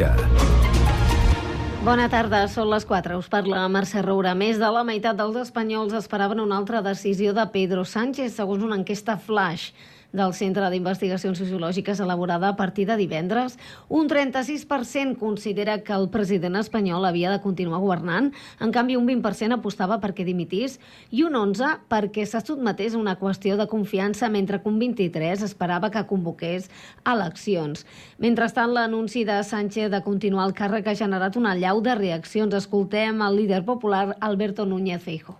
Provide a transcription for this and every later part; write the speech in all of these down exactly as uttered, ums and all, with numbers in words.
xarxa. Bona tarda, són les quatre. Us parla Mercè Roura. Més de la meitat dels espanyols esperaven una altra decisió de Pedro Sánchez, segons una enquesta flash del Centre d'Investigacions Sociològiques elaborada a partir de divendres. Un trenta-sis per cent considera que el president espanyol havia de continuar governant, en canvi un vint per cent apostava perquè dimitís i un onze per cent perquè se sotmetés a una qüestió de confiança, mentre que un vint-i-tres per cent esperava que convoqués eleccions. Mentrestant, l'anunci de Sánchez de continuar el càrrec ha generat una allau de reaccions. Escoltem el líder popular Alberto Núñez Feijóo.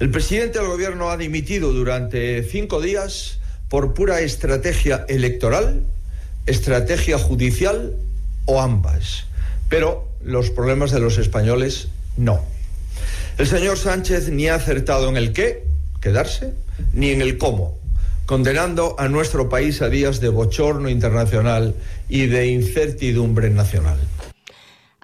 El presidente del gobierno ha dimitido durante cinco días por pura estrategia electoral, estrategia judicial o ambas. Pero los problemas de los españoles no. El señor Sánchez ni ha acertado en el qué, quedarse, ni en el cómo, condenando a nuestro país a días de bochorno internacional y de incertidumbre nacional.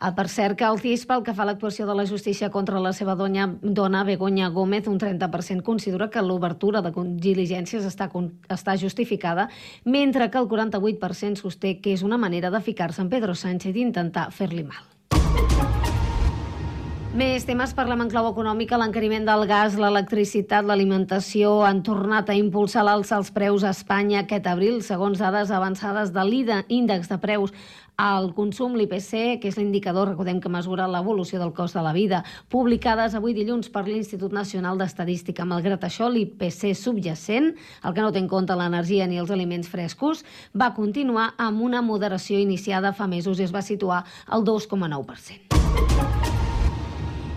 Per cert, que el C I S, pel que fa a l'actuació de la justícia contra la seva dona, dona Begoña Gómez, un trenta per cent considera que l'obertura de diligències està, està justificada, mentre que el quaranta-vuit per cent sosté que és una manera de ficar-se en Pedro Sánchez i intentar fer-li mal. Més temes, parlem en clau econòmica. L'encariment del gas, l'electricitat, l'alimentació han tornat a impulsar l'alça als preus a Espanya aquest abril, segons dades avançades de l'índex de preus al consum, l'I P C, que és l'indicador, recordem, que mesura l'evolució del cost de la vida, publicades avui dilluns per l'Institut Nacional d'Estadística. Malgrat això, l'I P C subjacent, el que no té en compte l'energia ni els aliments frescos, va continuar amb una moderació iniciada fa mesos i es va situar al dos coma nou per cent.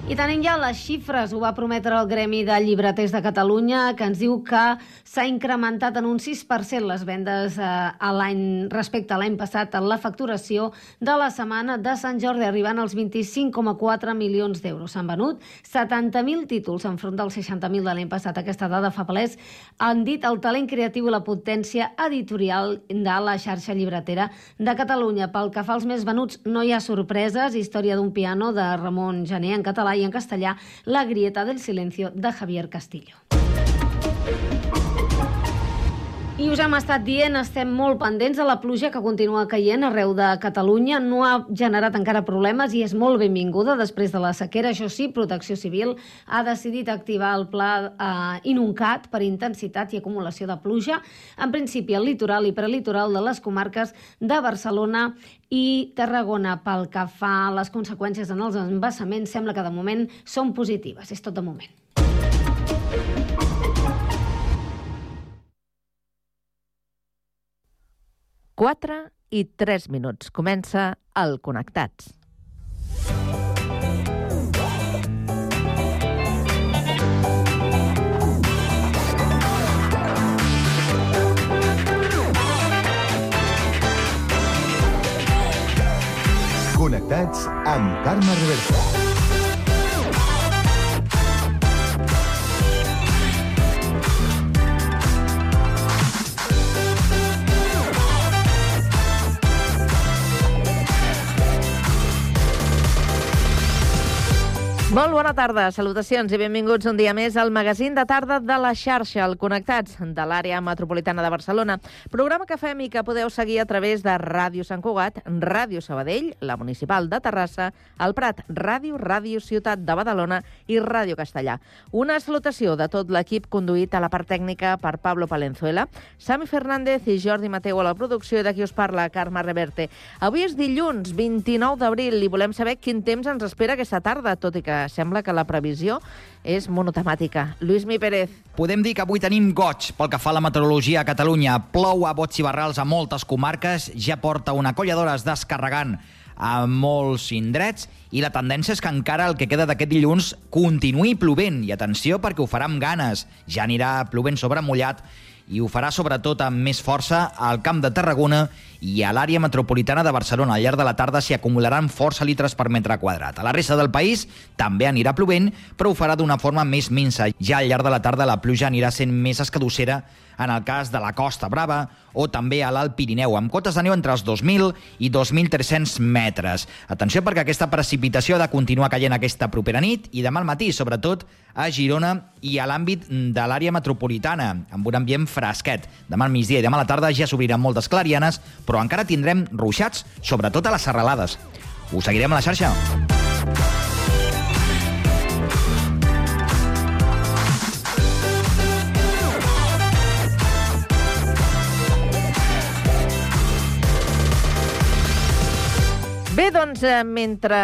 I tenim ja les xifres, ho va prometre el Gremi de Llibreters de Catalunya, que ens diu que s'ha incrementat en un sis per cent les vendes a l'any respecte a l'any passat en la facturació de la setmana de Sant Jordi, arribant als vint-i-cinc coma quatre milions d'euros. S'han venut setanta mil títols enfront dels seixanta mil de l'any passat. Aquesta dada fa palès, han dit, el talent creatiu i la potència editorial de la xarxa llibretera de Catalunya. Pel que fa als més venuts, no hi ha sorpreses. Història d'un piano de Ramon Gené en català i en castellà, La grieta del silencio de Javier Castillo. I us hem estat dient, estem molt pendents de la pluja que continua caient arreu de Catalunya. No ha generat encara problemes i és molt benvinguda després de la sequera. Això sí, Protecció Civil ha decidit activar el pla eh, Inuncat per intensitat i acumulació de pluja, en principi al litoral i prelitoral de les comarques de Barcelona i Tarragona. Pel que fa a les conseqüències en els embassaments, sembla que de moment són positives. És tot de moment. quatre i tres minuts. Comença el Connectats. Connectats amb Carme Reverte. Molt bona tarda, salutacions i benvinguts un dia més al magazín de tarda de la xarxa, el Connectats, de l'àrea metropolitana de Barcelona. Programa que fem i que podeu seguir a través de Ràdio Sant Cugat, Ràdio Sabadell, la Municipal de Terrassa, el Prat Ràdio, Ràdio Ciutat de Badalona i Ràdio Castellà. Una salutació de tot l'equip conduït a la part tècnica per Pablo Palenzuela, Sami Fernández i Jordi Mateu a la producció, i d'aquí us parla Carme Reverte. Avui és dilluns, vint-i-nou d'abril, i volem saber quin temps ens espera aquesta tarda, tot i que sembla que la previsió és monotemàtica. Lluís Mi Pérez. Podem dir que avui tenim goig pel que fa a la meteorologia a Catalunya. Plou a bots i barrals a moltes comarques, ja porta una colla d'hores descarregant a molts indrets i la tendència és que encara el que queda d'aquest dilluns continuï plovent. I atenció, perquè ho farà amb ganes. Ja anirà plovent sobre mullat i ho farà sobretot amb més força al Camp de Tarragona i a l'àrea metropolitana de Barcelona. Al llarg de la tarda s'hi acumularan força litres per metre quadrat. A la resta del país també anirà plovent, però ho farà d'una forma més minsa. Ja al llarg de la tarda la pluja anirà sent més escadussera en el cas de la Costa Brava o també a l'Alt Pirineu, amb cotes de neu entre els dos mil i dos mil tres-cents metres. Atenció, perquè aquesta precipitació ha de continuar caient aquesta propera nit i demà al matí, sobretot a Girona i a l'àmbit de l'àrea metropolitana, amb un ambient fresquet. Demà al migdia i demà a la tarda ja s'obriran moltes clarianes, però encara tindrem ruixats, sobretot a les serralades. Us seguirem a la xarxa. Bé, doncs, mentre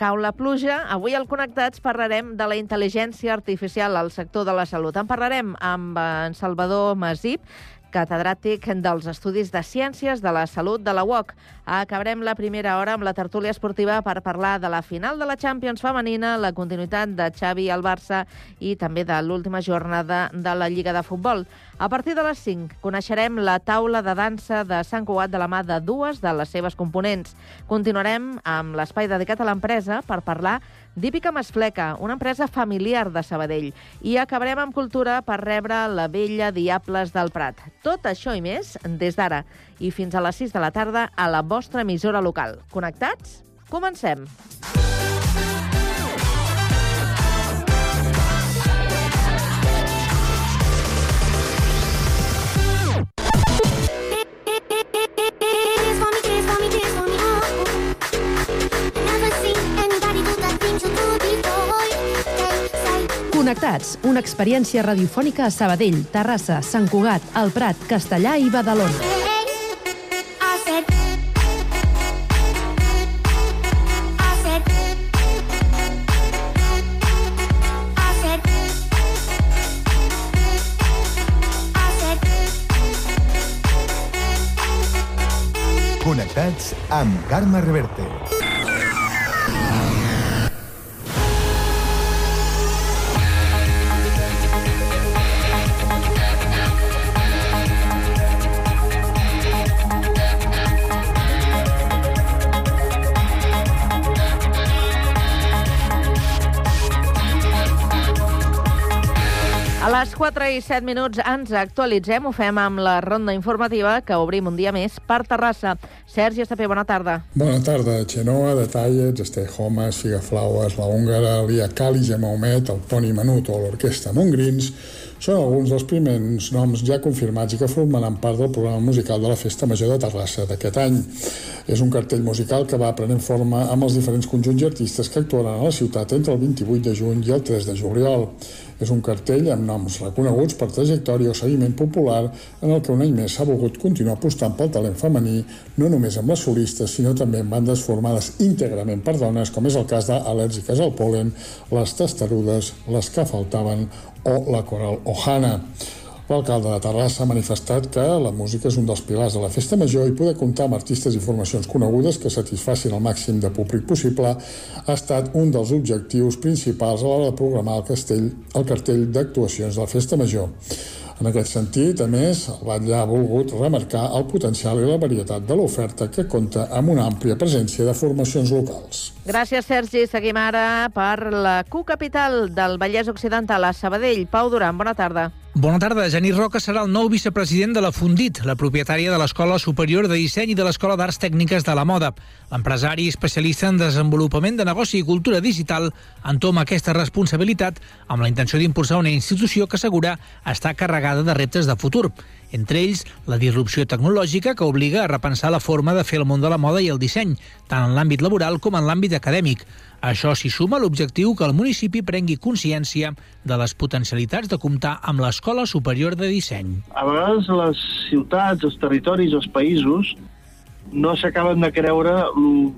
cau la pluja, avui al Connectats parlarem de la intel·ligència artificial al sector de la salut. En parlarem amb en Salvador Masip, catedràtic dels Estudis de Ciències de la Salut de la U O C. Acabarem la primera hora amb la tertúlia esportiva per parlar de la final de la Champions femenina, la continuïtat de Xavi al Barça i també de l'última jornada de la Lliga de Futbol. A partir de les cinc coneixerem la taula de dansa de Sant Cugat de la mà de dues de les seves components. Continuarem amb l'espai dedicat a l'empresa per parlar d'Hípica Masfleca, una empresa familiar de Sabadell. I acabarem amb cultura per rebre la vella Diables del Prat. Tot això i més des d'ara i fins a les sis de la tarda a la vostra emissora local. Connectats? Comencem! Connectats, una experiència radiofònica a Sabadell, Terrassa, Sant Cugat, el Prat, Castellà i Badalona. Connectats amb Carme Reverte. A les quatre i set minuts ens actualitzem, ho fem amb la ronda informativa que obrim un dia més per Terrassa. Sergi Estapé, bona tarda. Bona tarda. Xenoa, Detallets, Estejomes, Figaflaues, La Húngara, Lia Cali, Gemaumet, el Poni Menut o l'Orquestra Montgrins són alguns dels primers noms ja confirmats i que formaran part del programa musical de la Festa Major de Terrassa d'aquest any. És un cartell musical que va prenent forma amb els diferents conjunts i artistes que actuaran a la ciutat entre el vint-i-vuit de juny i el tres de juliol. És un cartell amb noms reconeguts per trajectòria o seguiment popular en el que un any més s'ha volgut continuar apostant pel talent femení, no només amb les solistes, sinó també amb bandes formades íntegrament per dones, com és el cas d'Al·lèrgiques al Pol·len, les Testarudes, les que faltaven o la Coral Ohana. L'alcalde de Terrassa ha manifestat que la música és un dels pilars de la Festa Major i poder comptar amb artistes i formacions conegudes que satisfacin el màxim de públic possible ha estat un dels objectius principals a l'hora de programar el, castell, el cartell d'actuacions de la Festa Major. En aquest sentit, a més, el batlle ha volgut remarcar el potencial i la varietat de l'oferta que compta amb una àmplia presència de formacions locals. Gràcies, Sergi. Seguim ara per la Q Capital del Vallès Occidental, a Sabadell. Pau Duran, bona tarda. Bona tarda. Genís Roca serà el nou vicepresident de la Fundit, la propietària de l'Escola Superior de Disseny i de l'Escola d'Arts Tècniques de la Moda. L'empresari especialista en desenvolupament de negoci i cultura digital entoma aquesta responsabilitat amb la intenció d'impulsar una institució que assegura està carregada de reptes de futur. Entre ells, la disrupció tecnològica que obliga a repensar la forma de fer el món de la moda i el disseny, tant en l'àmbit laboral com en l'àmbit acadèmic. A això s'hi suma l'objectiu que el municipi prengui consciència de les potencialitats de comptar amb l'Escola Superior de Disseny. A vegades les ciutats, els territoris, els països no s'acaben de creure el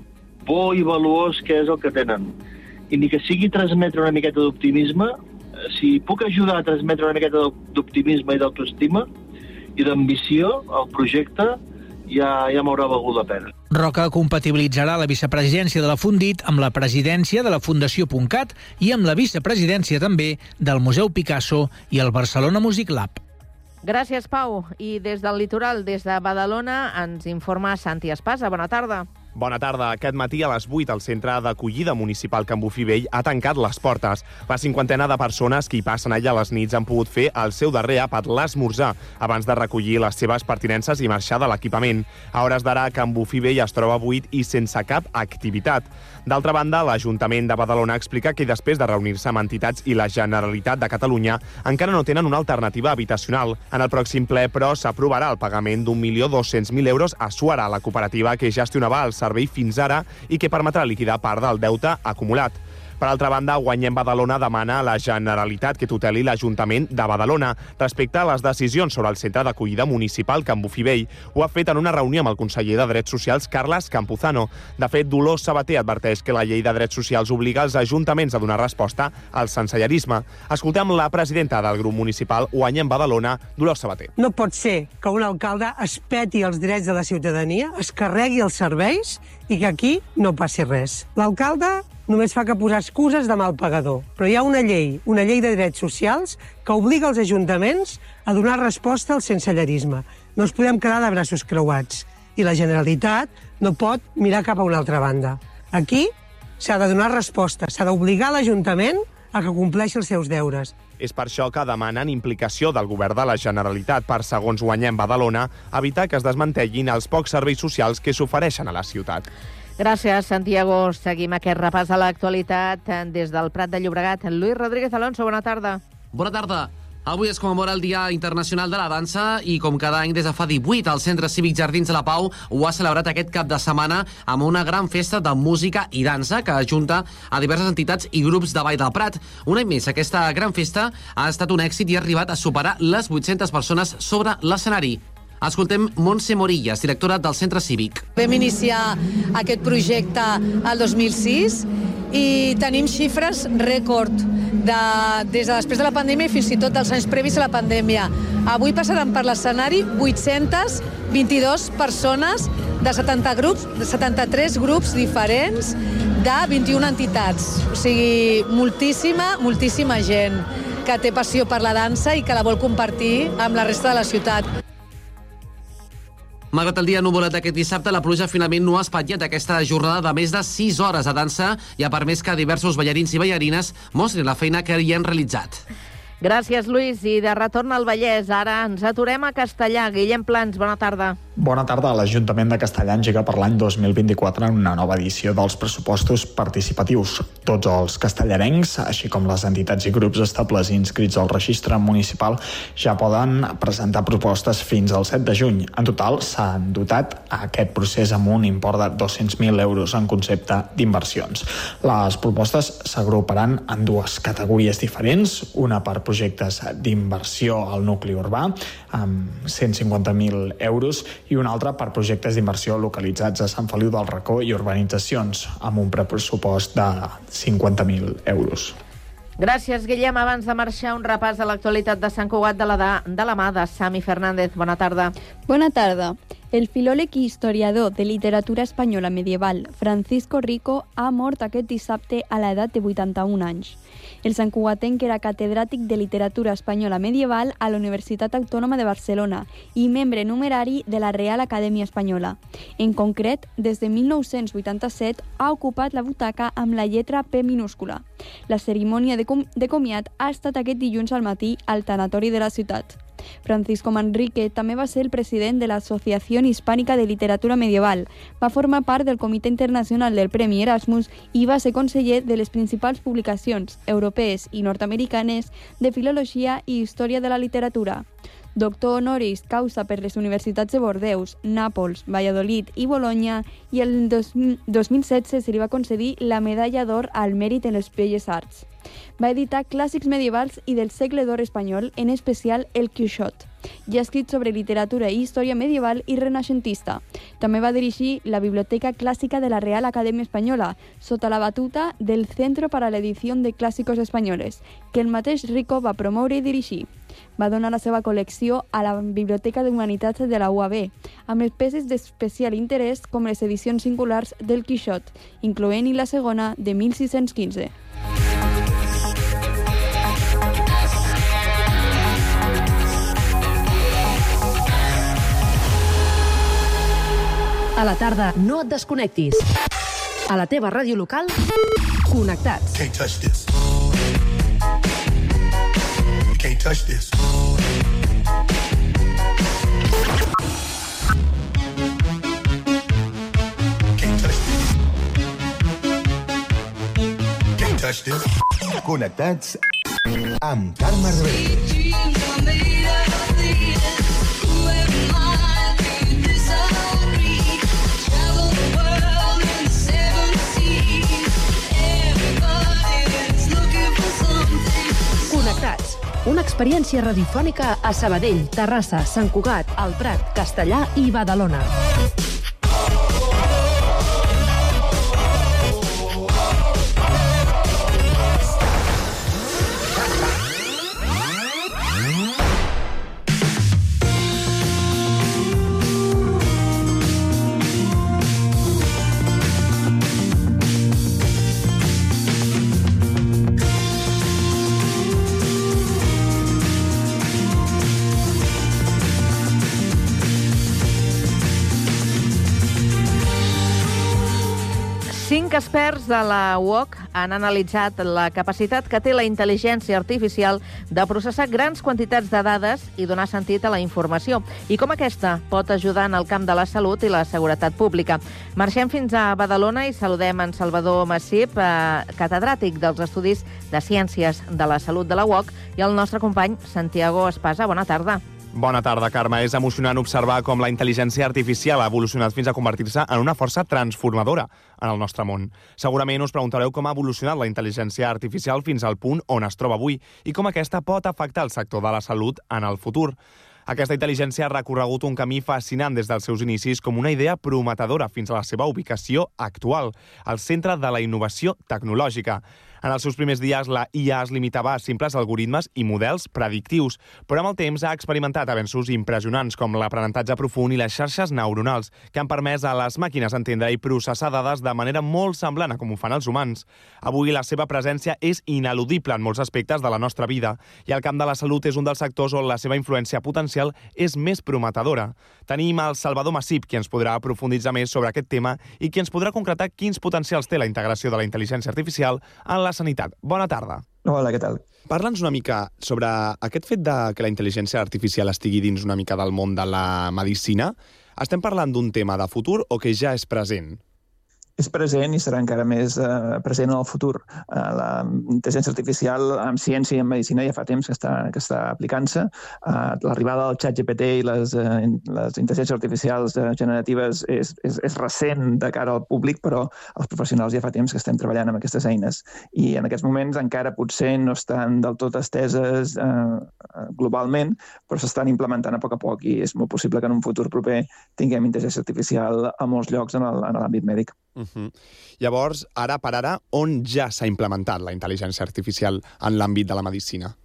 bo i valuós que és el que tenen. I ni que sigui transmetre una miqueta d'optimisme, si puc ajudar a transmetre una miqueta d'optimisme i d'autoestima i d'ambició al projecte, ja, ja m'haurà valgut la pena. Roca compatibilitzarà la vicepresidència de la Fundit amb la presidència de la Fundació Puntcat i amb la vicepresidència també del Museu Picasso i el Barcelona Music Lab. Gràcies, Pau. I des del litoral, des de Badalona, ens informa Santi Espasa. Bona tarda. Bona tarda. Aquest matí a les vuit el centre d'acollida municipal Can Bofill Vell ha tancat les portes. La cinquantena de persones que hi passen allà a les nits han pogut fer el seu darrer àpat, l'esmorzar, abans de recollir les seves pertinences i marxar de l'equipament. A hores d'ara, Can Bofill Vell es troba buit i sense cap activitat. D'altra banda, l'Ajuntament de Badalona explica que després de reunir-se amb entitats i la Generalitat de Catalunya encara no tenen una alternativa habitacional. En el pròxim ple, però, s'aprovarà el pagament d'un milió dos-cents mil euros a Suara, la cooperativa que gestionava el servei fins ara i que permetrà liquidar part del deute acumulat. Per altra banda, Guanyem Badalona demana a la Generalitat que tuteli l'Ajuntament de Badalona respecte a les decisions sobre el centre d'acollida municipal Can Bofill Vell. Ho ha fet en una reunió amb el conseller de Drets Socials, Carles Campuzano. De fet, Dolors Sabater adverteix que la llei de drets socials obliga els ajuntaments a donar resposta al sensellarisme. Escoltem la presidenta del grup municipal Guanyem Badalona, Dolors Sabater. No pot ser que un alcalde es peti els drets de la ciutadania, es carregui els serveis i que aquí no passi res. L'alcalde només fa que posar excuses de mal pagador. Però hi ha una llei, una llei de drets socials, que obliga els ajuntaments a donar resposta al sensellarisme. No ens podem quedar de braços creuats. I la Generalitat no pot mirar cap a una altra banda. Aquí s'ha de donar resposta, s'ha d'obligar l'Ajuntament a que compleixi els seus deures. És per això que demanen implicació del govern de la Generalitat per, segons Guanyem Badalona, evitar que es desmantellin els pocs serveis socials que s'ofereixen a la ciutat. Gràcies, Santiago. Seguim aquest repàs a l'actualitat des del Prat de Llobregat. Luis Rodríguez Alonso, bona tarda. Bona tarda. Avui es commemora el Dia Internacional de la Dansa i, com cada any des de fa divuit, el Centre Cívic Jardins de la Pau ho ha celebrat aquest cap de setmana amb una gran festa de música i dansa que ajunta a diverses entitats i grups de Vall del Prat. Un any més, aquesta gran festa ha estat un èxit i ha arribat a superar les vuit-centes persones sobre l'escenari. Escoltem Montse Morillas, directora del Centre Cívic. Vam iniciar aquest projecte el dos mil sis i tenim xifres rècord de, des de després de la pandèmia i fins i tot dels anys previs a la pandèmia. Avui passaran per l'escenari vuit-centes vint-i-dues persones de setanta grups, de setanta-tres grups diferents de vint-i-una entitats. O sigui, moltíssima, moltíssima gent que té passió per la dansa i que la vol compartir amb la resta de la ciutat. Malgrat el dia nuvolat d'aquest dissabte, la pluja finalment no ha espatllat aquesta jornada de més de sis hores de dansa i ha permès que diversos ballarins i ballarines mostrin la feina que hi han realitzat. Gràcies, Lluís. I de retorn al Vallès, ara ens aturem a Castellà. Guillem Plans, bona tarda. Bona tarda. L'Ajuntament de Castellà engega per l'any dos mil vint-i-quatre una nova edició dels pressupostos participatius. Tots els castellarencs, així com les entitats i grups estables inscrits al registre municipal, ja poden presentar propostes fins al set de juny. En total, s'han dotat a aquest procés amb un import de dos-cents mil euros en concepte d'inversions. Les propostes s'agruparan en dues categories diferents, una per projectes d'inversió al nucli urbà, amb cent cinquanta mil euros, i una altra per projectes d'inversió localitzats a Sant Feliu del Racó i urbanitzacions, amb un pressupost de cinquanta mil euros. Gràcies, Guillem. Abans de marxar, un repàs de l'actualitat de Sant Cugat de la, de, de la mà de Sami Fernández. Bona tarda. Bona tarda. El filòleg i historiador de literatura espanyola medieval Francisco Rico ha mort aquest dissabte a l'edat de vuitanta-un anys. El santcugatenc era catedràtic de literatura espanyola medieval a la Universitat Autònoma de Barcelona i membre numerari de la Real Acadèmia Espanyola. En concret, des de mil nou-cents vuitanta-set ha ocupat la butaca amb la lletra P minúscula. La cerimònia de, com de comiat ha estat aquest dilluns al matí al tanatori de la ciutat. Francisco Manrique també va ser el president de l'Associació Hispànica de Literatura Medieval, va formar part del Comitè Internacional del Premi Erasmus i va ser conseller de les principals publicacions europees i nord-americanes de filologia i història de la literatura. Doctor honoris causa per les universitats de Bordeus, Nàpols, Valladolid i Bolonya, i el dos mil setze se li va concedir la Medalla d'Or al Mèrit en les Belles Arts. Va editar clàssics medievals i del segle d'or espanyol, en especial el Quixot. Ja ha escrit sobre literatura i història medieval i renaixentista. També va dirigir la Biblioteca Clàssica de la Real Acadèmia Espanyola, sota la batuta del Centro para la Edición de Clásicos Españoles, que el mateix Rico va promoure i dirigir. Va donar la seva col·lecció a la Biblioteca d'Humanitats de la U A B, amb les peces d'especial interès com les edicions singulars del Quixot, incloent-hi la segona de mil sis-cents quinze. A la tarda, no et desconnectis. A la teva ràdio local, connectats. Can't touch this. You can't touch this. Can't touch this. Can't touch this. Connectats amb Carme Reverte. Connectats, una experiència radiofònica a Sabadell, Terrassa, Sant Cugat, El Prat, Castellà i Badalona. Cinc experts de la U O C han analitzat la capacitat que té la intel·ligència artificial de processar grans quantitats de dades i donar sentit a la informació, i com aquesta pot ajudar en el camp de la salut i la seguretat pública. Marxem fins a Badalona i saludem en Salvador Massip, eh, catedràtic dels Estudis de Ciències de la Salut de la U O C, i el nostre company Santiago Espasa. Bona tarda. Bona tarda, Carme. És emocionant observar com la intel·ligència artificial ha evolucionat fins a convertir-se en una força transformadora en el nostre món. Segurament us preguntareu com ha evolucionat la intel·ligència artificial fins al punt on es troba avui i com aquesta pot afectar el sector de la salut en el futur. Aquesta intel·ligència ha recorregut un camí fascinant des dels seus inicis com una idea prometedora fins a la seva ubicació actual, al centre de la innovació tecnològica. En els seus primers dies, la I A es limitava a simples algoritmes i models predictius, però amb el temps ha experimentat avenços impressionants com l'aprenentatge profund i les xarxes neuronals, que han permès a les màquines entendre i processar dades de manera molt semblant a com ho fan els humans. Avui la seva presència és ineludible en molts aspectes de la nostra vida, i el camp de la salut és un dels sectors on la seva influència potencial és més prometedora. Tenim el Salvador Massip, qui ens podrà aprofunditzar més sobre aquest tema i qui ens podrà concretar quins potencials té la integració de la intel·ligència artificial en la sanitat. Bona tarda. Hola, què tal? Parla'ns una mica sobre aquest fet de que la intel·ligència artificial estigui dins una mica del món de la medicina. Estem parlant d'un tema de futur o que ja és present? És present i serà encara més eh, present en el futur. Eh, la intel·ligència artificial en ciència i en medicina ja fa temps que està, que està aplicant-se. Eh, l'arribada del xat G P T i les, eh, les intel·ligències artificials eh, generatives és, és, és recent de cara al públic, però els professionals ja fa temps que estem treballant amb aquestes eines. I en aquests moments encara potser no estan del tot esteses eh, globalment, però s'estan implementant a poc a poc i és molt possible que en un futur proper tinguem intel·ligència artificial a molts llocs en l'àmbit mèdic. Uh-huh. Llavors, ara per ara, on ja s'ha implementat la intel·ligència artificial en l'àmbit de la medicina?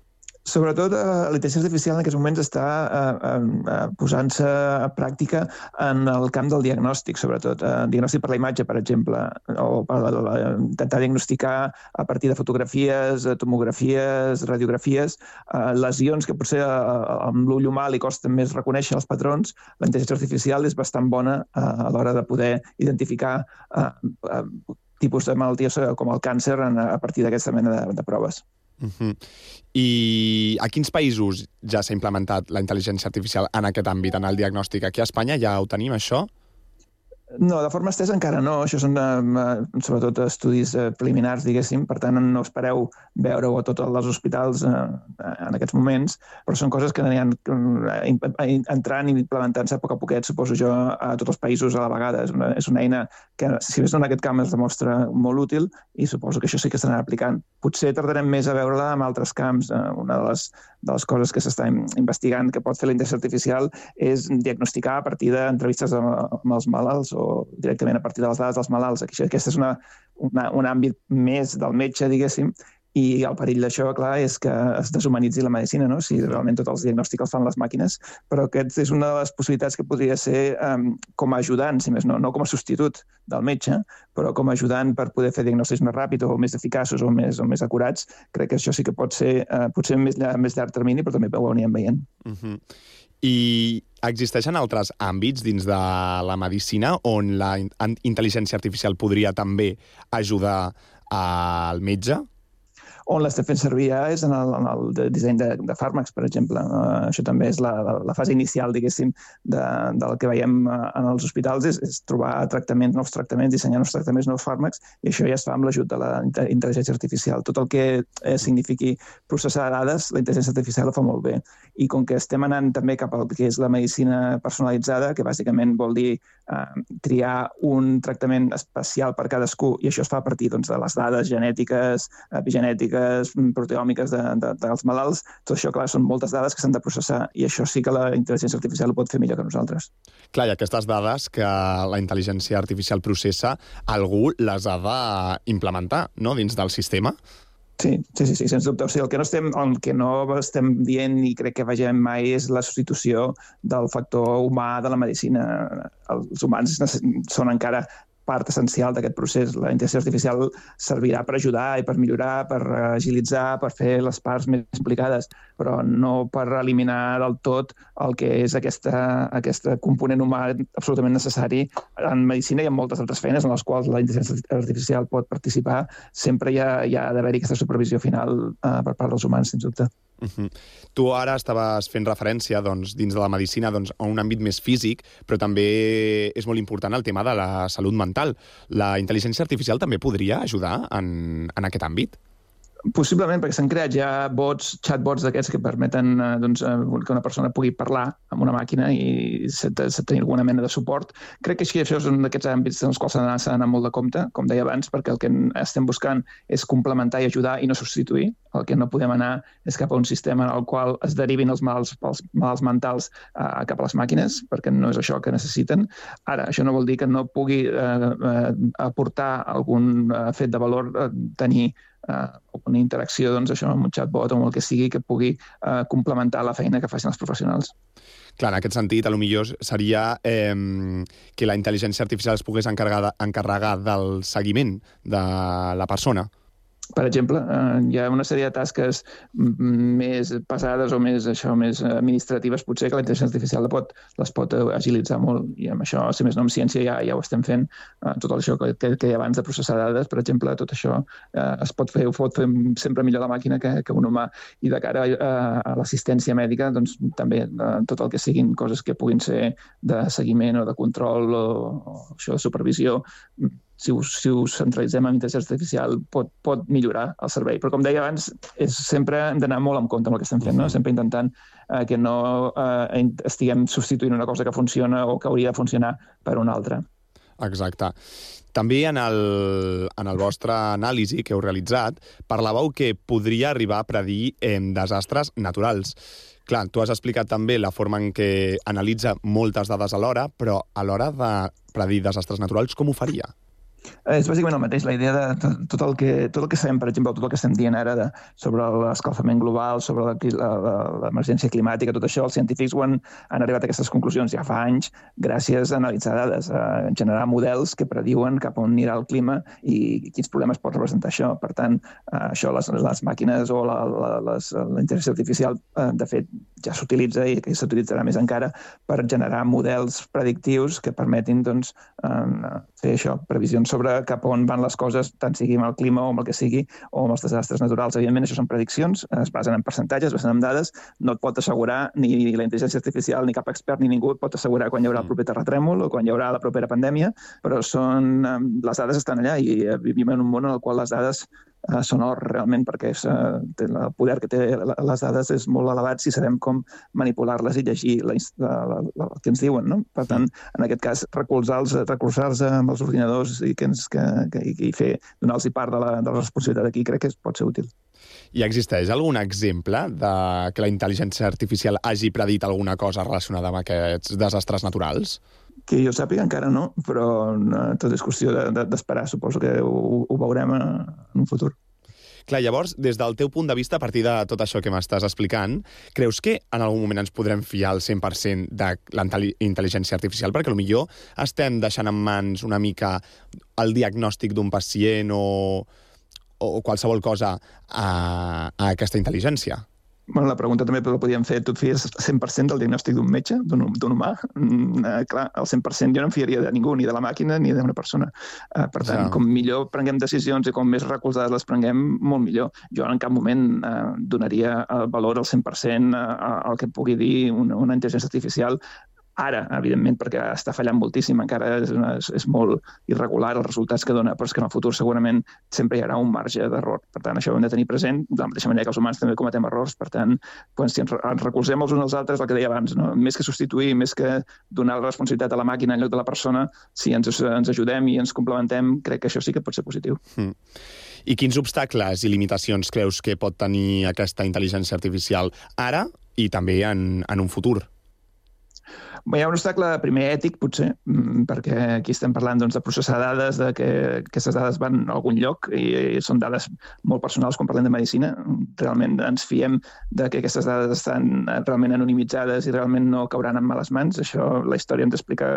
Sobretot, eh, la intel·ligència artificial en aquests moments està eh, eh, posant-se a pràctica en el camp del diagnòstic, sobretot. Eh, diagnòstic per la imatge, per exemple, o per la, la, intentar diagnosticar a partir de fotografies, tomografies, radiografies, eh, lesions que potser eh, amb l'ull humà li costa més reconèixer els patrons. La intel·ligència artificial és bastant bona eh, a l'hora de poder identificar eh, eh, tipus de malalties com el càncer a partir d'aquesta mena de, de proves. Uh-huh. I a quins països ja s'ha implementat la intel·ligència artificial en aquest àmbit, en el diagnòstic? Aquí a Espanya ja ho tenim, això? No, de forma estesa encara no. Això són uh, sobretot estudis uh, preliminars, diguéssim. Per tant, no espereu veure-ho a tots els hospitals uh, en aquests moments, però són coses que aniran uh, entrant i implementant-se a poc a poquet, suposo jo, a tots els països a la vegada. És una, és una eina que, si més no en aquest camp, es demostra molt útil i suposo que això sí que s'anirà aplicant. Potser tardarem més a veure-la en altres camps. Uh, una de les, de les coses que s'està investigant que pot fer la intel·ligència artificial és diagnosticar a partir d'entrevistes amb, amb els malalts o directament a partir de les dades dels malalts. Aquest és una, una, un àmbit més del metge, diguéssim, i el perill d'això, clar, és que es deshumanitzi la medicina, no? Si realment tots els diagnòstics els fan les màquines, però aquest és una de les possibilitats que podria ser um, com a ajudant, si més no, no com a substitut del metge, però com a ajudant per poder fer diagnòstics més ràpids o més eficaços o més, o més acurats. Crec que això sí que pot ser uh, potser més, més llarg termini, però també ho anirem veient. Uh-huh. I existeixen altres àmbits dins de la medicina on la intel·ligència artificial podria també ajudar al metge? On l'estem fent servir ja és en el, en el disseny de, de fàrmacs, per exemple. Uh, això també és la, la, la fase inicial, diguéssim, de, del que veiem en els hospitals, és, és trobar tractaments, nous tractaments, dissenyar nous tractaments, nous fàrmacs, i això ja es fa amb l'ajut de la intel·ligència artificial. Tot el que eh, signifiqui processar dades, la intel·ligència artificial ho fa molt bé. I com que estem anant també cap al que és la medicina personalitzada, que bàsicament vol dir eh, triar un tractament especial per cadascú, i això es fa a partir doncs, de les dades genètiques, epigenètiques, proteòmiques de, de, dels malalts, tot això, clar, són moltes dades que s'han de processar i això sí que la intel·ligència artificial ho pot fer millor que nosaltres. Clar, i aquestes dades que la intel·ligència artificial processa, algú les ha d'implementar, no?, dins del sistema? Sí, sí, sí, sí, sens dubte. O sigui, el que no estem, el que no estem dient i crec que vegem mai és la substitució del factor humà de la medicina. Els humans són encara part essencial d'aquest procés. La intel·ligència artificial servirà per ajudar i per millorar, per agilitzar, per fer les parts més explicades, però no per eliminar del tot el que és aquesta, aquesta component humà absolutament necessari en medicina i en moltes altres feines en les quals la intel·ligència artificial pot participar. Sempre hi ha, hi ha d'haver-hi aquesta supervisió final eh, per part dels humans, sens dubte. Uh-huh. Tu ara estaves fent referència doncs, dins de la medicina doncs, a un àmbit més físic, però també és molt important el tema de la salut mental. La intel·ligència artificial també podria ajudar en, en aquest àmbit? Possiblement, perquè s'han creat ja bots, chatbots d'aquests que permeten eh, doncs, que una persona pugui parlar amb una màquina i tenir alguna mena de suport. Crec que això és un d'aquests àmbits en els quals s'ha d'anar molt de compte, com deia abans, perquè el que estem buscant és complementar i ajudar i no substituir. El que no podem anar és cap a un sistema en el qual es derivin els malalts, els malalts mentals eh, cap a les màquines, perquè no és això que necessiten. Ara, això no vol dir que no pugui eh, eh, aportar algun eh, fet de valor, eh, tenir Uh, una interacció doncs, això, amb un chatbot o amb el que sigui que pugui uh, complementar la feina que facin els professionals. Clar, en aquest sentit, a lo millor seria eh, que la intel·ligència artificial es pogués encarregar, encarregar del seguiment de la persona. Per exemple, eh, hi ha una sèrie de tasques més pesades o més, això, més administratives, potser que la intel·ligència artificial pot, les pot agilitzar molt. I amb això, si més no, amb ciència ja, ja ho estem fent. Eh, tot això que, que, que hi ha abans de processar dades, per exemple, tot això eh, es pot fer, ho pot fer sempre millor la màquina que, que un humà. I de cara a, a l'assistència mèdica, doncs també eh, tot el que siguin coses que puguin ser de seguiment o de control o, o això de supervisió, si ho, si ho centralitzem en intel·ligència artificial pot, pot millorar el servei. Però com deia abans, és, sempre hem d'anar molt en compte amb el que estem fent, no? Sempre intentant eh, que no eh, estiguem substituint una cosa que funciona o que hauria de funcionar per una altra. Exacte. També en el, en el vostre anàlisi que heu realitzat, parlàveu que podria arribar a predir eh, desastres naturals. Clar, tu has explicat també la forma en què analitza moltes dades alhora, però a l'hora de predir desastres naturals, com ho faria? És bàsicament el mateix, la idea de tot el que, tot el que sabem, per exemple, tot el que estem dient ara de, sobre l'escalfament global, sobre l'emergència climàtica, tot això, els científics ho han, han arribat a aquestes conclusions ja fa anys gràcies a analitzar dades, a generar models que prediuen cap on anirà el clima i quins problemes pot representar això. Per tant, això, les, les màquines o la, la, les, la intel·ligència artificial, de fet, ja s'utilitza i que s'utilitzarà més encara per generar models predictius que permetin doncs, fer això, previsions sobre cap on van les coses, tant sigui amb el clima o amb el que sigui, o amb els desastres naturals. Evidentment, això són prediccions, es basen en percentatges, es basen en dades, no et pot assegurar ni la intel·ligència artificial, ni cap expert, ni ningú et pot assegurar quan hi haurà el proper terratrèmol o quan hi haurà la propera pandèmia, però són, les dades estan allà i vivim en un món en el qual les dades són or realment, perquè és, el poder que té les dades és molt elevat si sabem com manipular-les i llegir la, la, la, la, el que ens diuen, no? Per tant, en aquest cas, recolzar-los recolzar amb els ordinadors i, que ens, que, que, i fer, donar-los part de la, de la responsabilitat aquí crec que pot ser útil. I existeix algun exemple de que la intel·ligència artificial hagi predit alguna cosa relacionada amb aquests desastres naturals? Que jo sàpiga encara no, però tot és qüestió d'esperar. Suposo que ho, ho veurem en un futur. Clar, llavors, des del teu punt de vista, a partir de tot això que m'estàs explicant, creus que en algun moment ens podrem fiar al cent per cent de la intel·ligència artificial? Perquè potser estem deixant en mans una mica el diagnòstic d'un pacient o, o qualsevol cosa a, a aquesta intel·ligència. Bueno, la pregunta també la podíem fer, tu et fies cent per cent del diagnòstic d'un metge, d'un humà? Mm, eh, clar, el cent per cent jo no em fiaria de ningú, ni de la màquina ni d'una persona. Eh, per tant, ja. com millor prenguem decisions i com més recolzades les prenguem, molt millor. Jo en cap moment eh, donaria el valor al cent per cent al que pugui dir una, una intel·ligència artificial. Ara, evidentment, perquè està fallant moltíssim, encara és, una, és, és molt irregular els resultats que dona, però és que en el futur segurament sempre hi haurà un marge d'error. Per tant, això ho hem de tenir present, de la mateixa manera que els humans també cometem errors. Per tant, quan si ens recolzem els uns als altres, el que deia abans, no? Més que substituir, més que donar la responsabilitat a la màquina en lloc de la persona, si ens, ens ajudem i ens complementem, crec que això sí que pot ser positiu. Mm. I quins obstacles i limitacions creus que pot tenir aquesta intel·ligència artificial ara i també en, en un futur? Hi ha un obstacle primer ètic, potser, perquè aquí estem parlant doncs, de processar dades, de que aquestes dades van a algun lloc i són dades molt personals quan parlem de medicina. Realment ens fiem de que aquestes dades estan realment anonimitzades i realment no cauran en males mans. Això la història ens explica,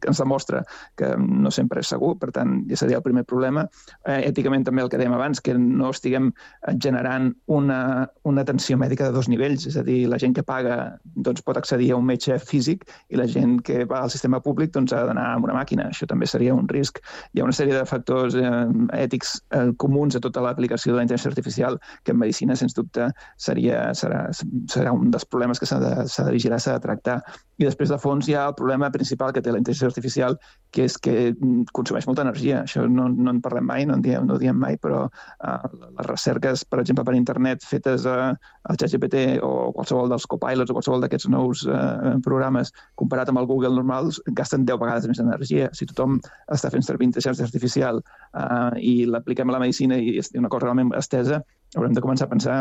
ens demostra que no sempre és segur, per tant, ja seria el primer problema. Èticament també el que dèiem abans, que no estiguem generant una, una atenció mèdica de dos nivells, és a dir, la gent que paga doncs, pot accedir a un metge físic i la gent que va al sistema públic doncs, ha d'anar amb una màquina. Això també seria un risc. Hi ha una sèrie de factors eh, ètics eh, comuns a tota l'aplicació de la intel·ligència artificial que en medicina, sens dubte, seria, serà, serà un dels problemes que s'ha de, s'ha de vigilar, s'ha de tractar. I després, de fons, hi ha el problema principal que té la intel·ligència artificial, que és que consumeix molta energia. Això no, no en parlem mai, no en diem, no ho diem mai, però eh, les recerques, per exemple, per internet, fetes a, al ChatGPT o qualsevol dels copilots o qualsevol d'aquests nous eh, programes, comparat amb el Google normal, gasten deu vegades més energia. Si tothom està fent servir intel·ligència artificial eh, i l'apliquem a la medicina i és una cosa realment estesa, haurem de començar a pensar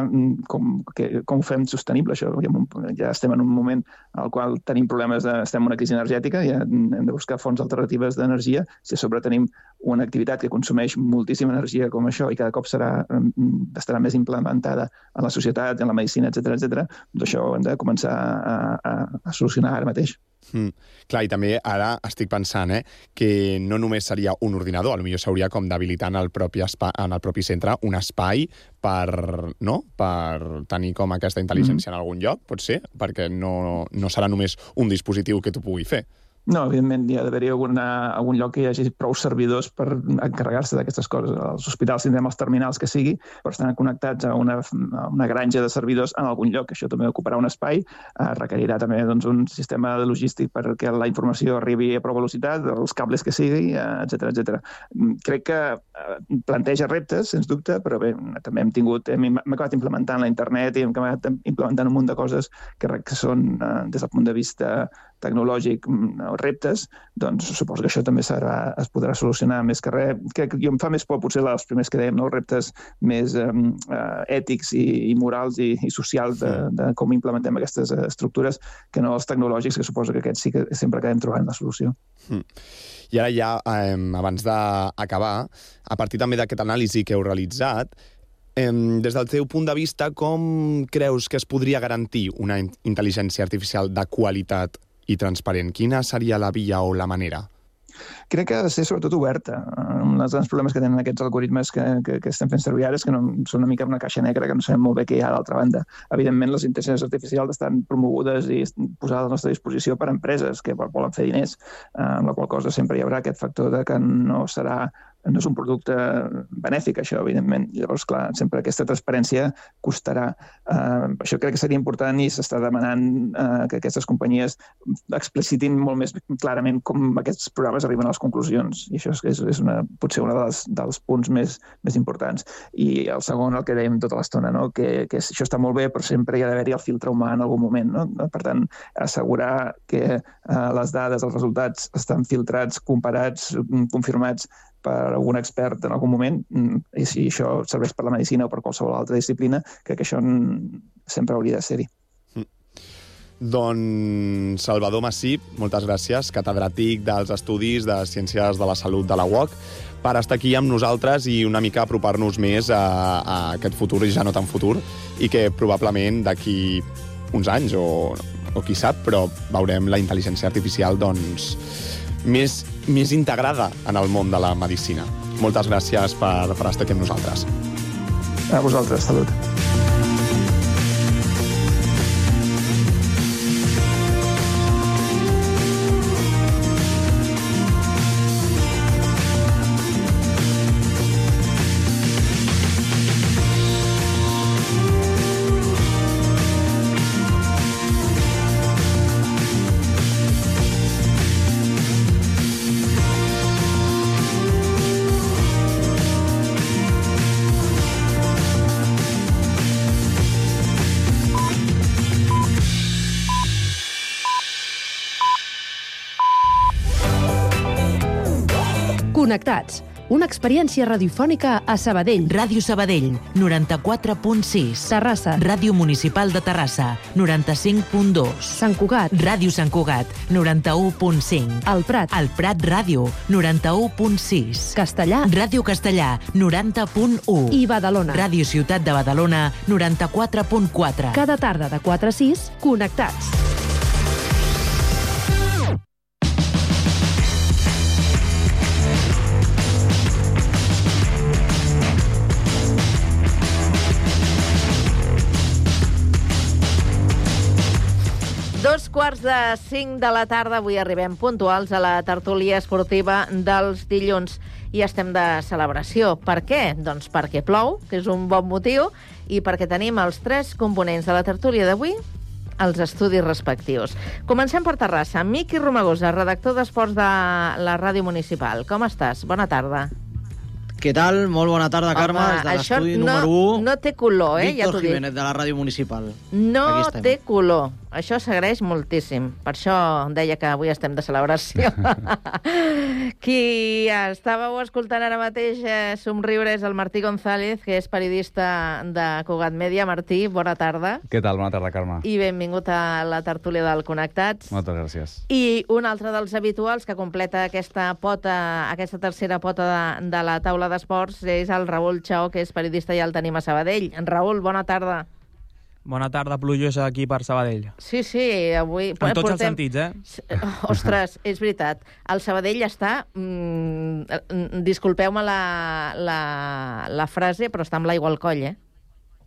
com, que, com ho fem sostenible, això. Ja estem en un moment al qual tenim problemes, de, estem en una crisi energètica i hem de buscar fonts alternatives d'energia. Si a sobre tenim una activitat que consumeix moltíssima energia com això i cada cop serà, estarà més implementada en la societat, en la medicina, etcètera, etcètera, doncs això ho hem de començar a, a, a solucionar ara mateix. Mm. Clar, i també ara estic pensant eh, que no només seria un ordinador, potser s'hauria com d'habilitar en el propi espai, en el propi centre un espai per, no? per tenir com aquesta intel·ligència mm. en algun lloc, pot ser, perquè no, no serà només un dispositiu que t'ho pugui fer. No, evidentment, hi ha d'haver-hi algun lloc que hi hagi prou servidors per encarregar-se d'aquestes coses. Als hospitals tindrem els terminals que sigui, però estan connectats a una, a una granja de servidors en algun lloc. Això també ocuparà un espai, eh, requerirà també doncs, un sistema logístic perquè la informació arribi a prou velocitat, els cables que sigui, eh, etcètera, etcètera. Crec que eh, planteja reptes, sens dubte, però bé, també hem tingut, hem, hem acabat implementant la internet i hem acabat implementant un munt de coses que, que són, eh, des del punt de vista tecnològic, reptes, doncs suposo que això també serà, es podrà solucionar més que res. Crec que em fa més por potser els primers que dèiem, no? Reptes més eh, ètics i, i morals i, i socials de, de com implementem aquestes estructures que no els tecnològics, que suposo que aquests sí que sempre acabem trobant la solució. Mm. I ara ja, eh, abans d'acabar, a partir també d'aquest anàlisi que heu realitzat, eh, des del teu punt de vista, com creus que es podria garantir una intel·ligència artificial de qualitat i transparent? Quina seria la via o la manera? Crec que ha de ser sobretot oberta. Un dels grans problemes que tenen aquests algoritmes que, que, que estem fent servir ara és que no, són una mica una caixa negra que no sabem molt bé què hi ha a l'altra banda. Evidentment, les intel·ligències artificials estan promogudes i posades a la nostra disposició per empreses que volen fer diners, amb la qual cosa sempre hi haurà aquest factor de que no serà no és un producte benèfic, això, evidentment. Llavors, clar, sempre aquesta transparència costarà. Uh, això crec que seria important i s'està demanant uh, que aquestes companyies explicitin molt més clarament com aquests programes arriben a les conclusions. I això és, és una, potser un dels, dels punts més, més importants. I el segon, el que dèiem tota l'estona, no? que, que això està molt bé, però sempre hi ha d'haver-hi el filtre humà en algun moment. No? Per tant, assegurar que uh, les dades, els resultats estan filtrats, comparats, confirmats per algun expert en algun moment, i si això serveix per la medicina o per qualsevol altra disciplina, crec que això sempre hauria de ser-hi. Mm. Doncs Salvador Massip, moltes gràcies, catedràtic dels Estudis de Ciències de la Salut de la U O C, per estar aquí amb nosaltres i una mica apropar-nos més a, a aquest futur, i ja no tan futur, i que probablement d'aquí uns anys, o, o qui sap, però veurem la intel·ligència artificial, doncs, més, més integrada en el món de la medicina. Moltes gràcies per, per estar aquí amb nosaltres. A vosaltres, salut. Connectats, una experiència radiofònica a Sabadell. Ràdio Sabadell, noranta-quatre punt sis. Terrassa. Ràdio Municipal de Terrassa, noranta-cinc punt dos. Sant Cugat. Ràdio Sant Cugat, noranta-u punt cinc. El Prat. El Prat Ràdio, noranta-u punt sis. Castellà. Ràdio Castellà, noranta punt u. I Badalona. Ràdio Ciutat de Badalona, noranta-quatre punt quatre. Cada tarda de quatre a sis, Connectats. Dos quarts de cinc de la tarda, avui arribem puntuals a la tertúlia esportiva dels dilluns i estem de celebració. Per què? Doncs perquè plou, que és un bon motiu, i perquè tenim els tres components de la tertúlia d'avui als estudis respectius. Comencem per Terrassa. Miqui Romagosa, redactor d'Esports de la Ràdio Municipal. Com estàs? Bona tarda. Què tal? Molt bona tarda, Carme. Home, des de això l'estudi no, número u. no té color, eh? Ja Víctor t'ho dic. Jiménez, de la Ràdio Municipal. No Aquí estem. té color. Això s'agraeix moltíssim. Per això deia que avui estem de celebració. Qui estàveu escoltant ara mateix eh, somriure és el Martí González, que és periodista de Cugat Mèdia. Martí, bona tarda. Què tal? Bona tarda, Carme. I benvingut a la tertúlia del Connectats. Moltes gràcies. I un altre dels habituals que completa aquesta pota, aquesta tercera pota de, de la taula d'esports és el Raül Chao, que és periodista i el tenim a Sabadell. En Raül, bona tarda. Bona tarda, plujosa aquí per Sabadell. Sí, sí, avui... En tots portem... els sentits, eh? Ostres, és veritat. El Sabadell està... Mm, disculpeu-me la, la, la frase, però està amb l'aigua al coll, eh?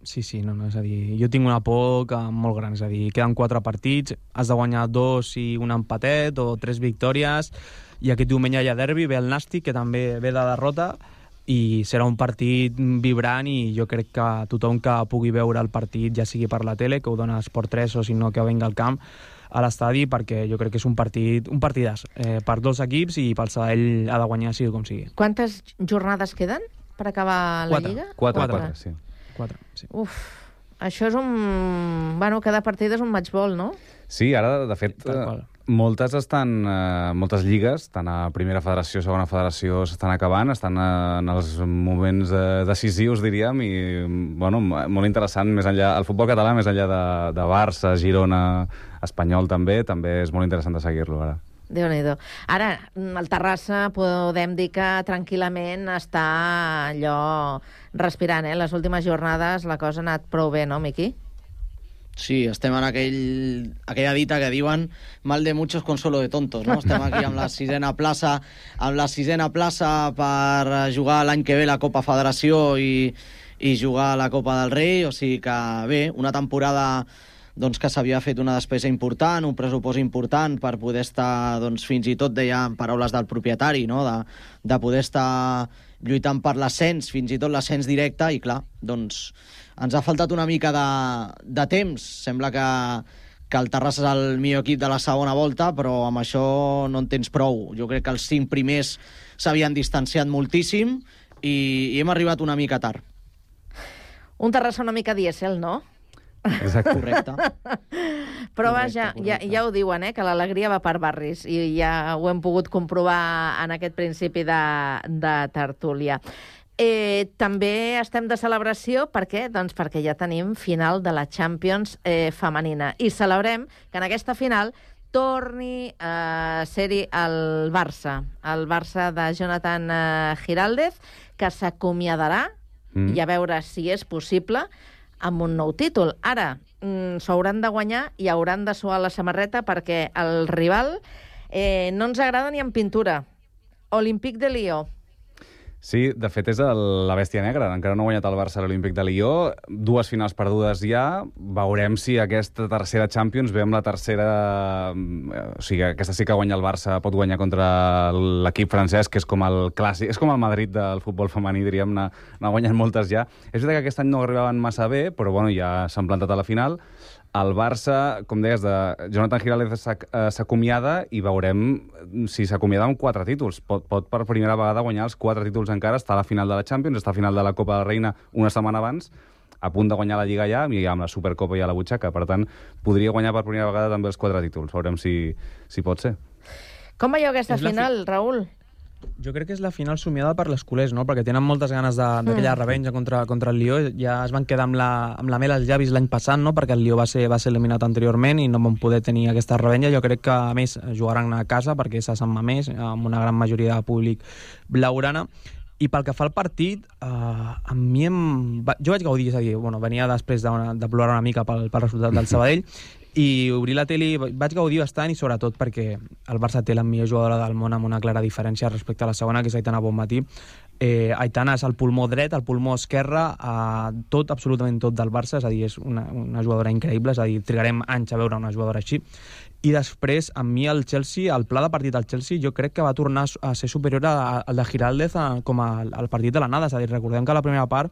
Sí, sí, no, no, és a dir, jo tinc una por que molt gran, és a dir, queden quatre partits, has de guanyar dos i un empatet o tres victòries, i aquest diumenge hi ha derbi, ve el Nàstic, que també ve de derrota, i serà un partit vibrant i jo crec que tothom que pugui veure el partit, ja sigui per la tele, que ho dona Esport tres o si no que venga al camp a l'estadi, perquè jo crec que és un partit un partidàs eh, per dos equips i pel Sabadell ha de guanyar sigui com sigui. Quantes jornades queden per acabar la Quatre. Lliga? Quatre, quatre, quatre sí. Quatre, sí. Uf, això és un... Bueno, cada partit és un matchball, no? Sí, ara, de fet, eh, moltes estan, eh, moltes lligues, tant a primera federació, segona federació, s'estan acabant, estan eh, en els moments eh, decisius, diríem, i, bueno, molt interessant, més enllà, el futbol català, més enllà de, de Barça, Girona, Espanyol també, també és molt interessant de seguir-lo, ara. Déu-n'hi-do. Ara, el Terrassa podem dir que tranquil·lament està allò respirant, eh? Les últimes jornades la cosa ha anat prou bé, no, Miqui? Sí, estem en aquell, aquella dita que diuen mal de muchos consuelo de tontos, no? Estem aquí amb la sisena plaça, amb la sisena plaça per jugar l'any que ve la Copa Federació i, i jugar a la Copa del Rei, o sigui que bé, una temporada doncs, que s'havia fet una despesa important, un pressupost important per poder estar, doncs, fins i tot deia en paraules del propietari, no? de, de poder estar lluitant per l'ascens, fins i tot l'ascens directe, i clar, doncs ens ha faltat una mica de, de temps. Sembla que, que el Terrassa és el millor equip de la segona volta, però amb això no en tens prou. Jo crec que els cinc primers s'havien distanciat moltíssim i, i hem arribat una mica tard. Un Terrassa una mica dièsel, no? Exacte. Correcte. Però vaja, ja, ja ho diuen, eh, que l'alegria va per barris, i ja ho hem pogut comprovar en aquest principi de, de tertúlia. Eh, també estem de celebració, per què? Doncs perquè ja tenim final de la Champions eh, femenina, i celebrem que en aquesta final torni a ser-hi el Barça, el Barça de Jonathan eh, Giraldez, que s'acomiadarà, mm. i a veure si és possible, amb un nou títol. Ara, mm, s'hauran de guanyar i hauran de suar la samarreta, perquè el rival eh, no ens agrada ni en pintura. Olympique de Lió. Sí, de fet és el, la bèstia negra. Encara no ha guanyat el Barça a l'Olímpic de Lió. Dues finals perdudes ja. Veurem si aquesta tercera Champions ve amb la tercera... O sigui, aquesta sí que guanya el Barça, pot guanyar contra l'equip francès, que és com el clàssic, és com el Madrid del futbol femení, diríem, n'ha guanyat moltes ja. És veritat que aquest any no arribaven massa bé, però bueno, ja s'han plantat a la final. El Barça, com deies, de Jonathan Giraldez s'acomiada i veurem si s'acomiada amb quatre títols. Pot, pot per primera vegada guanyar els quatre títols encara, està a la final de la Champions, està a la final de la Copa de la Reina una setmana abans, a punt de guanyar la Lliga ja, i amb la Supercopa ja a la butxaca. Per tant, podria guanyar per primera vegada també els quatre títols. Veurem si, si pot ser. Com veieu aquesta final, fi... Raül? Jo crec que és la final somiada per les culers, no? Perquè tenen moltes ganes d'aquella mm. revenja contra, contra el Lió. Ja es van quedar amb la, amb la mel als llavis l'any passat, no? Perquè el Lió va ser, va ser eliminat anteriorment i no van poder tenir aquesta revenja. Jo crec que, a més, jugaran a casa perquè és a Sant Mamés, amb una gran majoria de públic blaugrana. I pel que fa al partit, eh, a mi em... Va... jo vaig gaudir, és a dir, bueno, venia després de, una, de plorar una mica pel, pel resultat del Sabadell, i obrir la tele vaig gaudir bastant, i sobretot perquè el Barça té la millor jugadora del món amb una clara diferència respecte a la segona, que és Aitana Bonmatí. Eh, Aitana és el pulmó dret, el pulmó esquerre, eh, tot, absolutament tot del Barça, és a dir, és una, una jugadora increïble, és a dir, trigarem anys a veure una jugadora així. I després, a mi el Chelsea, el pla de partit del Chelsea, jo crec que va tornar a ser superior al de Giraldez a, com a, al partit de l'anada, és a dir, recordem que a la primera part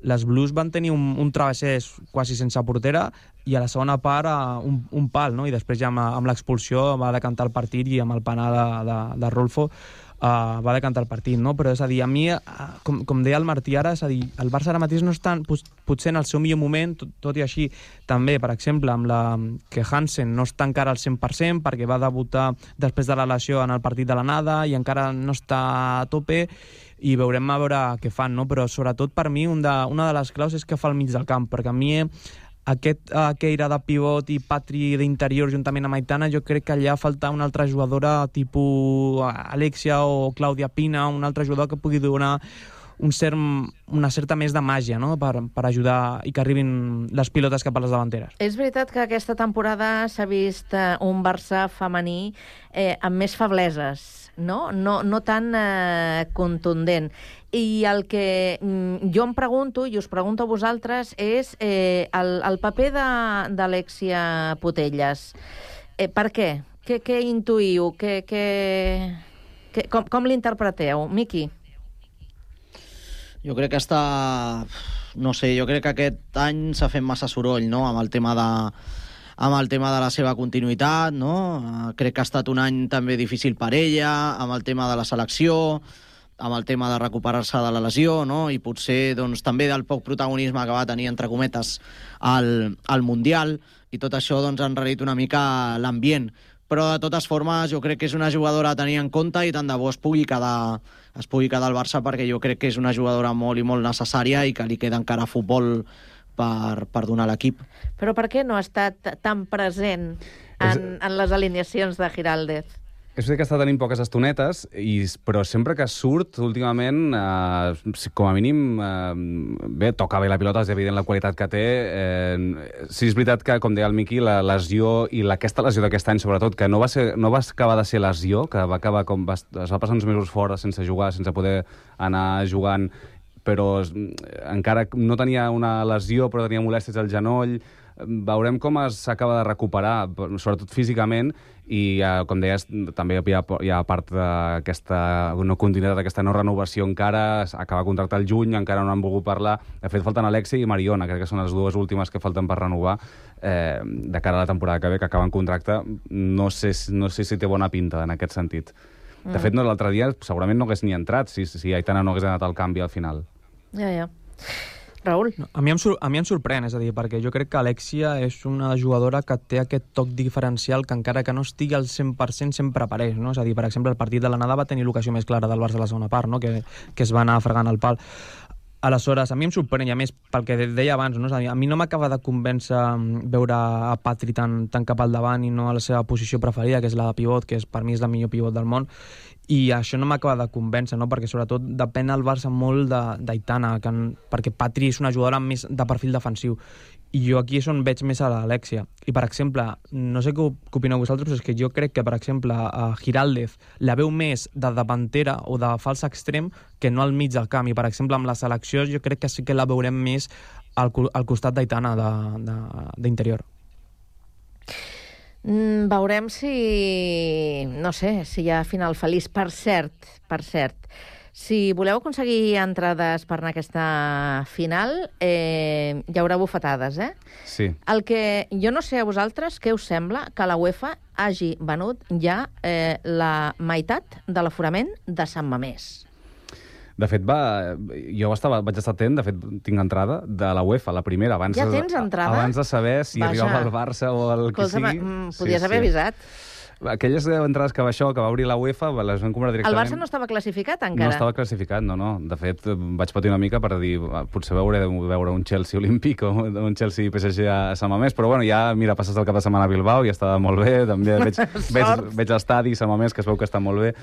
les Blues van tenir un, un travessers quasi sense portera i a la segona part uh, un, un pal, no? I després ja amb, amb l'expulsió va decantar el partit i amb el penal de, de, de Rolfo uh, va decantar el partit, no? Però és a dir, a mi, uh, com, com deia el Martí ara, és a dir, el Barça ara mateix no està potser en el seu millor moment, tot, tot i així també, per exemple, amb la que Hansen no està encara al cent per cent perquè va debutar després de la lesió en el partit de l'anada i encara no està a tope, i veurem a veure què fan, no? Però sobretot per mi un de, una de les claus és que fa al mig del camp, perquè a mi aquest uh, Keira de pivot i Patri d'interior juntament amb Aitana, jo crec que allà falta una altra jugadora tipus Alexia o Clàudia Pina, un altre jugador que pugui donar un cert, una certa més de màgia, no? per, per ajudar i que arribin les pilotes cap a les davanteres. És veritat que aquesta temporada s'ha vist eh, un Barça femení eh, amb més febleses, no? No, no tan eh, contundent. I el que mm, jo em pregunto, i us pregunto a vosaltres, és eh, el, el paper d'Alexia Putellas. Eh, per què? Què, què intuïu? Què, què, què, com com l'interpreteu? Miqui? Jo crec que està... No sé, jo crec que aquest any s'ha fet massa soroll, no?, amb el tema de amb el tema de la seva continuïtat, no? Crec que ha estat un any també difícil per ella, amb el tema de la selecció, amb el tema de recuperar-se de la lesió, no? I potser doncs, també del poc protagonisme que va tenir, entre cometes, al, al Mundial, i tot això doncs, ha enrarit una mica l'ambient. Però, de totes formes, jo crec que és una jugadora a tenir en compte i tant de bo es pugui quedar, es pugui quedar al Barça, perquè jo crec que és una jugadora molt i molt necessària i que li queda encara futbol per, per donar a l'equip. Però per què no ha estat tan present en, en les alineacions de Giraldez? És veritat que està tenint poques estonetes, i, però sempre que surt, últimament, eh, com a mínim, eh, bé, toca bé la pilota, és evident la qualitat que té. Eh, sí, és veritat que, com deia el Miqui, la lesió, i aquesta lesió d'aquest any, sobretot, que no va, ser, no va acabar de ser lesió, que va acabar com va, es va passar uns mesos fora sense jugar, sense poder anar jugant, però encara no tenia una lesió, però tenia molèsties al genoll. Veurem com s'acaba de recuperar, sobretot físicament, i, eh, com deies, també hi ha, hi ha part d'aquesta no continuïtat, d'aquesta no renovació encara, acaba de contractar el juny, encara no han volgut parlar. De fet, falten Alexia i Mariona, crec que són les dues últimes que falten per renovar eh, de cara a la temporada que ve, que acaben contracte. No sé, no sé si té bona pinta en aquest sentit. De mm. fet, no, l'altre dia segurament no hagués ni entrat si, si Aitana no hagués anat al canvi al final. Ja, ja. Raül? No, a, mi em a mi em sorprèn, és a dir, perquè jo crec que Alexia és una jugadora que té aquest toc diferencial que encara que no estigui al cent per cent sempre apareix, no? És a dir, per exemple, el partit de l'anada va tenir l'ocasió més clara del Barça a la segona part, no? que, que es va anar fregant el pal. Aleshores, a mi em sorprèn, i a més, pel que deia abans, no? És a dir, a mi no m'acaba de convèncer veure a Patri tan, tan cap al davant i no a la seva posició preferida, que és la de pivot, que és, per mi és la millor pivot del món, i això no m'acaba de convèncer, no? Perquè sobretot depèn el Barça molt d'Aitana, perquè Patri és una jugadora més de perfil defensiu, i jo aquí és on veig més a l'Alexia. I, per exemple, no sé què opineu vosaltres, però és que jo crec que, per exemple, a Giraldez la veu més de davantera o de fals extrem que no al mig del camp, i, per exemple, amb la selecció jo crec que sí que la veurem més al, al costat d'Aitana d'interior. Mm, veurem si... no sé, si hi ha final feliç. Per cert, per cert, si voleu aconseguir entrades per anar a aquesta final, eh, hi haurà bufetades, eh? Sí. El que jo no sé a vosaltres, què us sembla que la UEFA hagi venut ja eh, la meitat de l'aforament de Sant Mamés? De fet, va, jo estava, vaig estar atent, de fet, tinc entrada de la UEFA, la primera. Abans ja tens entrada? Abans de saber si Vaja. arribava el Barça o el que Escolta, sigui. Mm, podies sí, haver sí. avisat. aquelles entrades que va això, que va obrir la UEFA, les van comprar directament. El Barça no estava classificat encara? No estava classificat, no, no. De fet, vaig patir una mica per dir, potser veuré veure un Chelsea olímpic o un Chelsea P S G a Sant Mamés, però bueno, ja, mira, passes el cap de setmana a Bilbao i està molt bé, també veig, veig, veig l'estadi Sant Mamés, que es veu que està molt bé,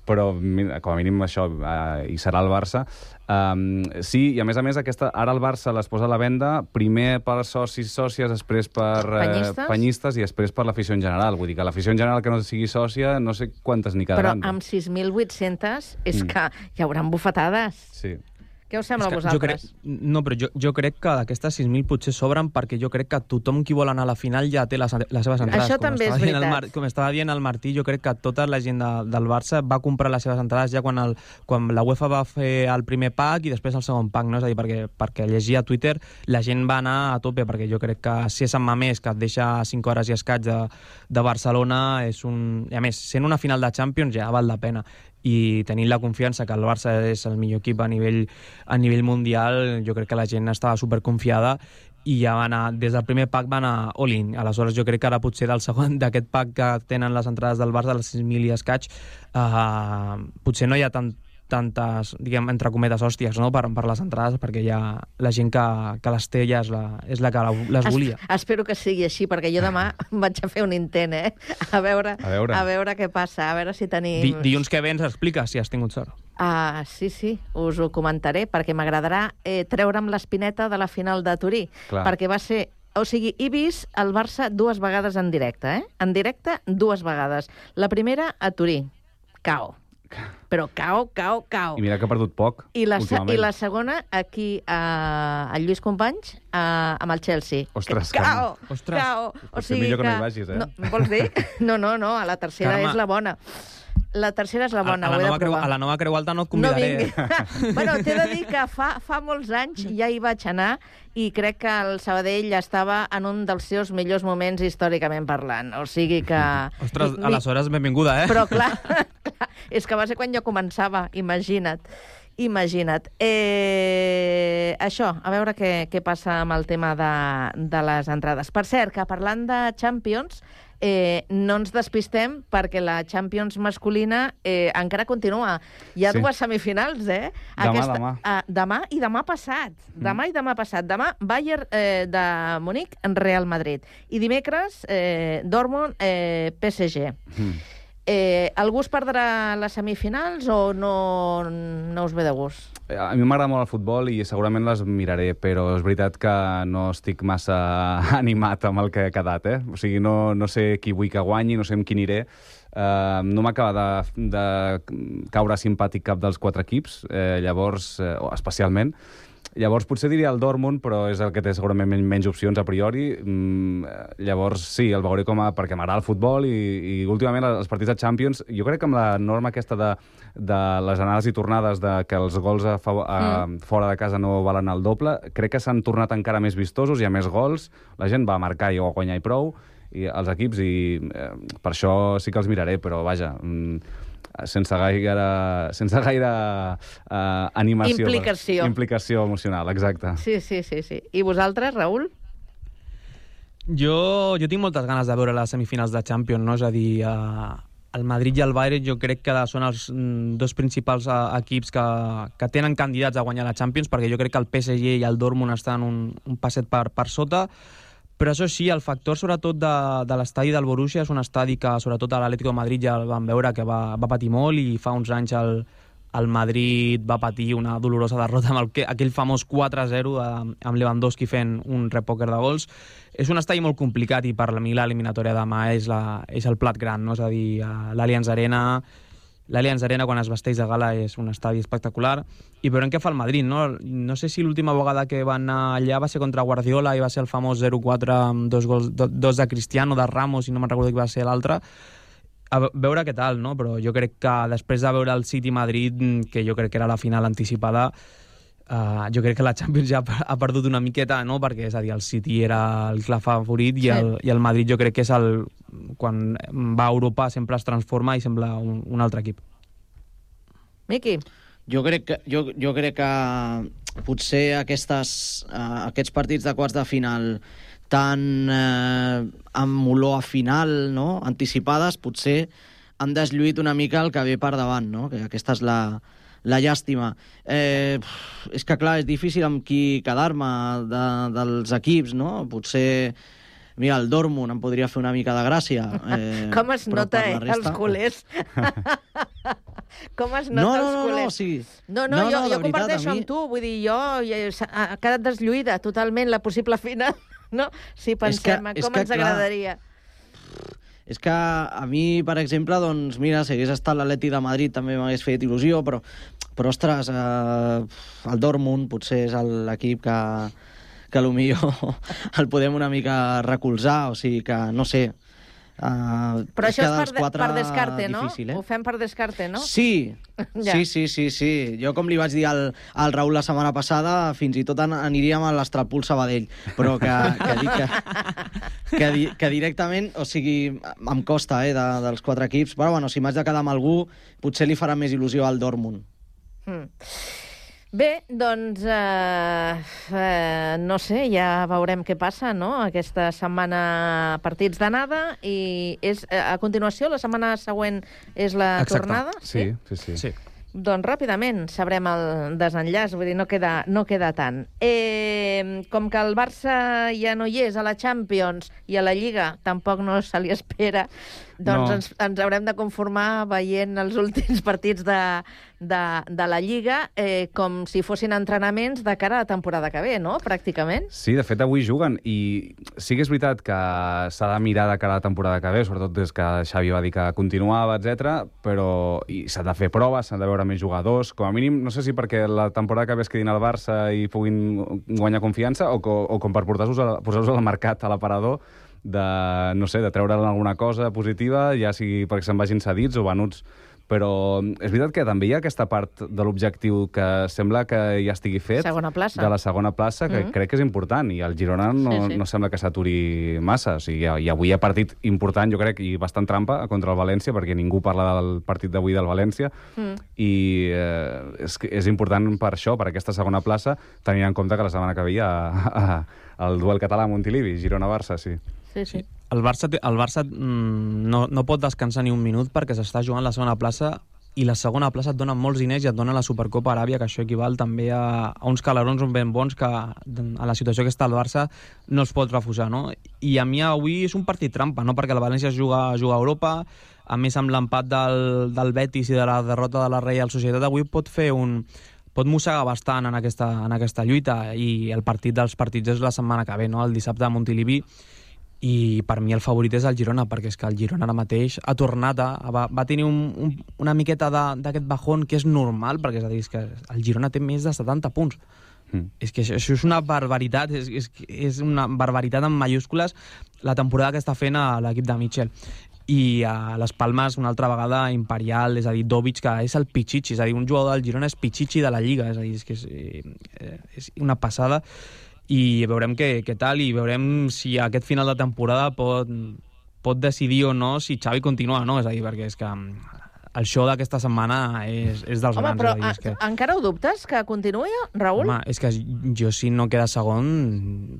però mira, com a mínim això, eh, hi serà el Barça. Um, sí, i a més a més, aquesta, ara el Barça les posa a la venda primer per socis, sòcies, després per eh, Penyistes? penyistes i després per l'afició en general. Vull dir que l'afició en general que no sigui sòcia, no sé quantes n'hi quedaran. Però amb sis mil vuit-cents és Mm. que hi haurà bufetades. Sí. Què us sembla a Jo vosaltres? crec, no, però jo, jo crec que d'aquestes sis mil potser sobren perquè jo crec que tothom qui vol anar a la final ja té les, les seves entrades. Això com també és estava dient el veritat. Mar, com estava dient el Martí, jo crec que tota la gent de, del Barça va comprar les seves entrades ja quan, el, quan la UEFA va fer el primer pack i després el segon pack, no? És a dir, perquè, perquè llegia a Twitter la gent va anar a tope, perquè jo crec que si és Sant Mamés, que et deixa cinc hores i escaig de, de Barcelona, és un... I a més, sent una final de Champions ja val la pena. I tenint la confiança que el Barça és el millor equip a nivell, a nivell mundial, jo crec que la gent estava superconfiada i ja va anar, des del primer pack va anar all-in. Aleshores jo crec que ara potser del segon, d'aquest pack que tenen les entrades del Barça, de les sis mil i escaig, eh, potser no hi ha tant, tantes, diguem, entre cometes, hòsties, no?, per, per les entrades, perquè ja la gent que, que les té ja és la, és la que les volia. Es, espero que sigui així, perquè jo demà vaig a fer un intent, eh? A veure, A veure. a veure què passa, a veure si tenim... Di, dilluns que ve ens explica si has tingut sort. Ah, sí, sí, us ho comentaré, perquè m'agradarà eh, treure'm l'espineta de la final de Turí, Clar. perquè va ser... O sigui, he vist el Barça dues vegades en directe, eh? En directe, dues vegades. La primera, a Turí. Cao. Però cao, cao, cao. I mira que ha perdut poc, I la, se- últimament. I la segona, aquí, a, a Lluís Companys, a, amb el Chelsea. Ostres, Cao, Carme. Ostres. cao. O Potser millor que no hi vagis, eh? No, vols dir? No, no, no, a la tercera Carme. és la bona. La tercera és la bona, a, la ho he de nova creu, provar. a la nova Creu Alta no et No convidaré. vingui. Bueno, t'he de dir que fa, fa molts anys ja hi vaig anar i crec que el Sabadell estava en un dels seus millors moments històricament parlant. O sigui que... Ostres, Mi- aleshores benvinguda, eh? Però clar, clar, és que va ser quan jo començava, imagina't. Imagina't. Eh, això, a veure què, què passa amb el tema de, de les entrades. Per cert, que parlant de Champions, eh, no ens despistem perquè la Champions masculina eh, encara continua. Hi ha Sí. dues semifinals, eh? Demà, demà. Ah, demà i demà passat. Demà i demà passat. Demà, Bayern eh, de Munic, Real Madrid. I dimecres, eh, Dortmund, eh, P S G. Mm. Eh, algú es perdrà les semifinals o no, no us ve de gust? A mi m'agrada molt el futbol i segurament les miraré, però és veritat que no estic massa animat amb el que ha quedat, eh? O sigui, no, no sé qui vull que guanyi, no sé amb qui aniré. Uh, no m'acaba de, de caure simpàtic cap dels quatre equips, eh, llavors, eh, especialment. Llavors, potser diria el Dortmund, però és el que té segurament men- menys opcions a priori. Mm, llavors, sí, el veuré com a... perquè m'agrada el futbol i, i últimament els partits de Champions, jo crec que amb la norma aquesta de, de les anades i tornades, de que els gols a, favor, a, Mm. fora de casa no valen el doble, crec que s'han tornat encara més vistosos, hi ha més gols, la gent va a marcar i a guanyar i prou, i els equips, i eh, per això sí que els miraré, però vaja... Mm, sense gaire, sense gaire uh, animació. Implicació. Implicació emocional, exacte. Sí, sí, sí, sí. I vosaltres, Raül? Jo, jo tinc moltes ganes de veure les semifinals de Champions, no? És a dir, eh, el Madrid i el Bayern jo crec que són els mm, dos principals eh, equips que, que tenen candidats a guanyar la Champions, perquè jo crec que el P S G i el Dortmund estan un, un passet per, per sota, però això sí, el factor sobretot de, de l'estadi del Borussia és un estadi que sobretot a l'Atlético de Madrid ja el vam veure que va, va patir molt, i fa uns anys el, el Madrid va patir una dolorosa derrota amb el, que- aquell famós quatre a zero eh, amb Lewandowski fent un repòquer de gols. És un estadi molt complicat i per a mi l'eliminatòria demà és, la, és el plat gran, no? És a dir, eh, l'Allianz Arena... L'Allianz Arena, quan es vesteix de gala, és un estadi espectacular. I veurem què fa el Madrid, no? No sé si l'última vegada que van anar allà va ser contra Guardiola i va ser el famós zero quatre amb dos, gols, do, dos de Cristiano, de Ramos, i no me'n recordo qui va ser l'altre. A ve- veure què tal, no? Però jo crec que després de veure el City-Madrid, que jo crec que era la final anticipada, uh, jo crec que la Champions ja ha per- ha perdut una miqueta, no? Perquè, és a dir, el City era el clar favorit i, Sí. el, i el Madrid jo crec que és el... Quan va a Europa sempre es transforma i sembla un, un altre equip. Miqui? Jo crec que, jo, jo crec que potser aquestes, uh, aquests partits de quarts de final tan eh, amb olor a final, no? Anticipades, potser han deslluït una mica el que ve per davant, no? Que aquesta és la, la llàstima. Eh, és que, clar, és difícil amb qui quedar-me de, dels equips, no? Potser... Mira, el Dortmund em podria fer una mica de gràcia. Eh, Com es nota, eh, resta... els culers? Com es nota no, no, els no, culers? No, sí. no, no, no, jo, no jo veritat, comparteixo mi... amb tu. Vull dir, jo ha quedat deslluïda totalment la possible final, no? Si pensem que, com que, ens agradaria. És que a mi, per exemple, doncs, mira, si hagués estat l'Atleti de Madrid també m'hagués fet il·lusió, però, però ostres, eh, el Dortmund potser és l'equip que... que potser el podem una mica recolzar, o sigui que, no sé... Uh, Però això és per, per descarte, no? Difícil, eh? Ho fem per descarte, no? Sí, ja. sí, sí, sí, sí. Jo, com li vaig dir al, al Raül la setmana passada, fins i tot an aniríem a l'Estrapul Sabadell, però que, que, dic que, que, di que directament, o sigui, em costa, eh, de, dels quatre equips, però bueno, si m'haig de quedar amb algú, potser li farà més il·lusió al Dortmund. Mm. Bé, doncs, eh, eh, no sé, ja veurem què passa, no? Aquesta setmana partits d'anada i és, a continuació, la setmana següent és la Exacte. tornada? Sí, sí, sí. sí. Doncs ràpidament sabrem el desenllaç, vull dir, no queda, no queda tant. Eh, com que el Barça ja no hi és a la Champions i a la Lliga tampoc no se li espera, doncs no. ens, ens haurem de conformar veient els últims partits de, de, de la Lliga eh, com si fossin entrenaments de cara a la temporada que ve, no?, pràcticament. Sí, de fet, avui juguen, i sí que és veritat que s'ha de mirar de cara a la temporada que ve, sobretot des que Xavi va dir que continuava, etcètera, però s'ha de fer proves, s'han de veure més jugadors, com a mínim, no sé si perquè la temporada que ve es quedin al Barça i puguin guanyar confiança, o, o, o com per posar-vos posar al mercat, a l'aparador, de, no sé, de treure'n alguna cosa positiva, ja sigui perquè se'n vagin cedits o venuts. Però és veritat que també hi ha aquesta part de l'objectiu que sembla que ja estigui fet, segona plaça. de la segona plaça, que mm-hmm. crec que és important, i el Girona no, sí, sí. no sembla que s'aturi massa. O sigui, i avui hi ha partit important, jo crec, i bastant trampa contra el València, perquè ningú parla del partit d'avui del València, mm. i eh, és, és important per això, per aquesta segona plaça, tenint en compte que la setmana que ve hi ha el duel català a Montilivi, Girona-Barça, sí. Sí, sí. El Barça, el Barça no, no pot descansar ni un minut perquè s'està jugant la segona plaça, i la segona plaça et dona molts diners i et dona la Supercopa Aràbia, que això equival també a, a uns calarons ben bons que a la situació que està el Barça no es pot refusar, no? I a mi avui és un partit trampa, no? Perquè el València juga, juga a Europa, a més amb l'empat del, del Betis i de la derrota de la Reial Societat, avui pot fer un... pot mossegar bastant en aquesta, en aquesta lluita, i el partit dels partits és la setmana que ve, no? El dissabte a Montilivi, i per mi el favorit és el Girona, perquè és que el Girona ara mateix ha tornat a... va, va tenir un, un, una miqueta d'aquest bajón que és normal, perquè és a dir, és que el Girona té més de setanta punts. Mm. És que això, això és una barbaritat, és, és, és una barbaritat en mayúscules la temporada que està fent a l'equip de Mitchell. I a les Palmes, una altra vegada, imperial, és a dir, Dovic, que és el Pichichi, és a dir, un jugador del Girona és Pichichi de la Lliga, és a dir, és que és, eh, és una passada, i veurem què, què tal, i veurem si aquest final de temporada pot, pot decidir o no si Xavi continua o no, és a dir, perquè és que el show d'aquesta setmana és, és dels Home, grans. però és a dir, és que... encara ho dubtes, que continuï, Raül? Home, és que jo, si no queda segon,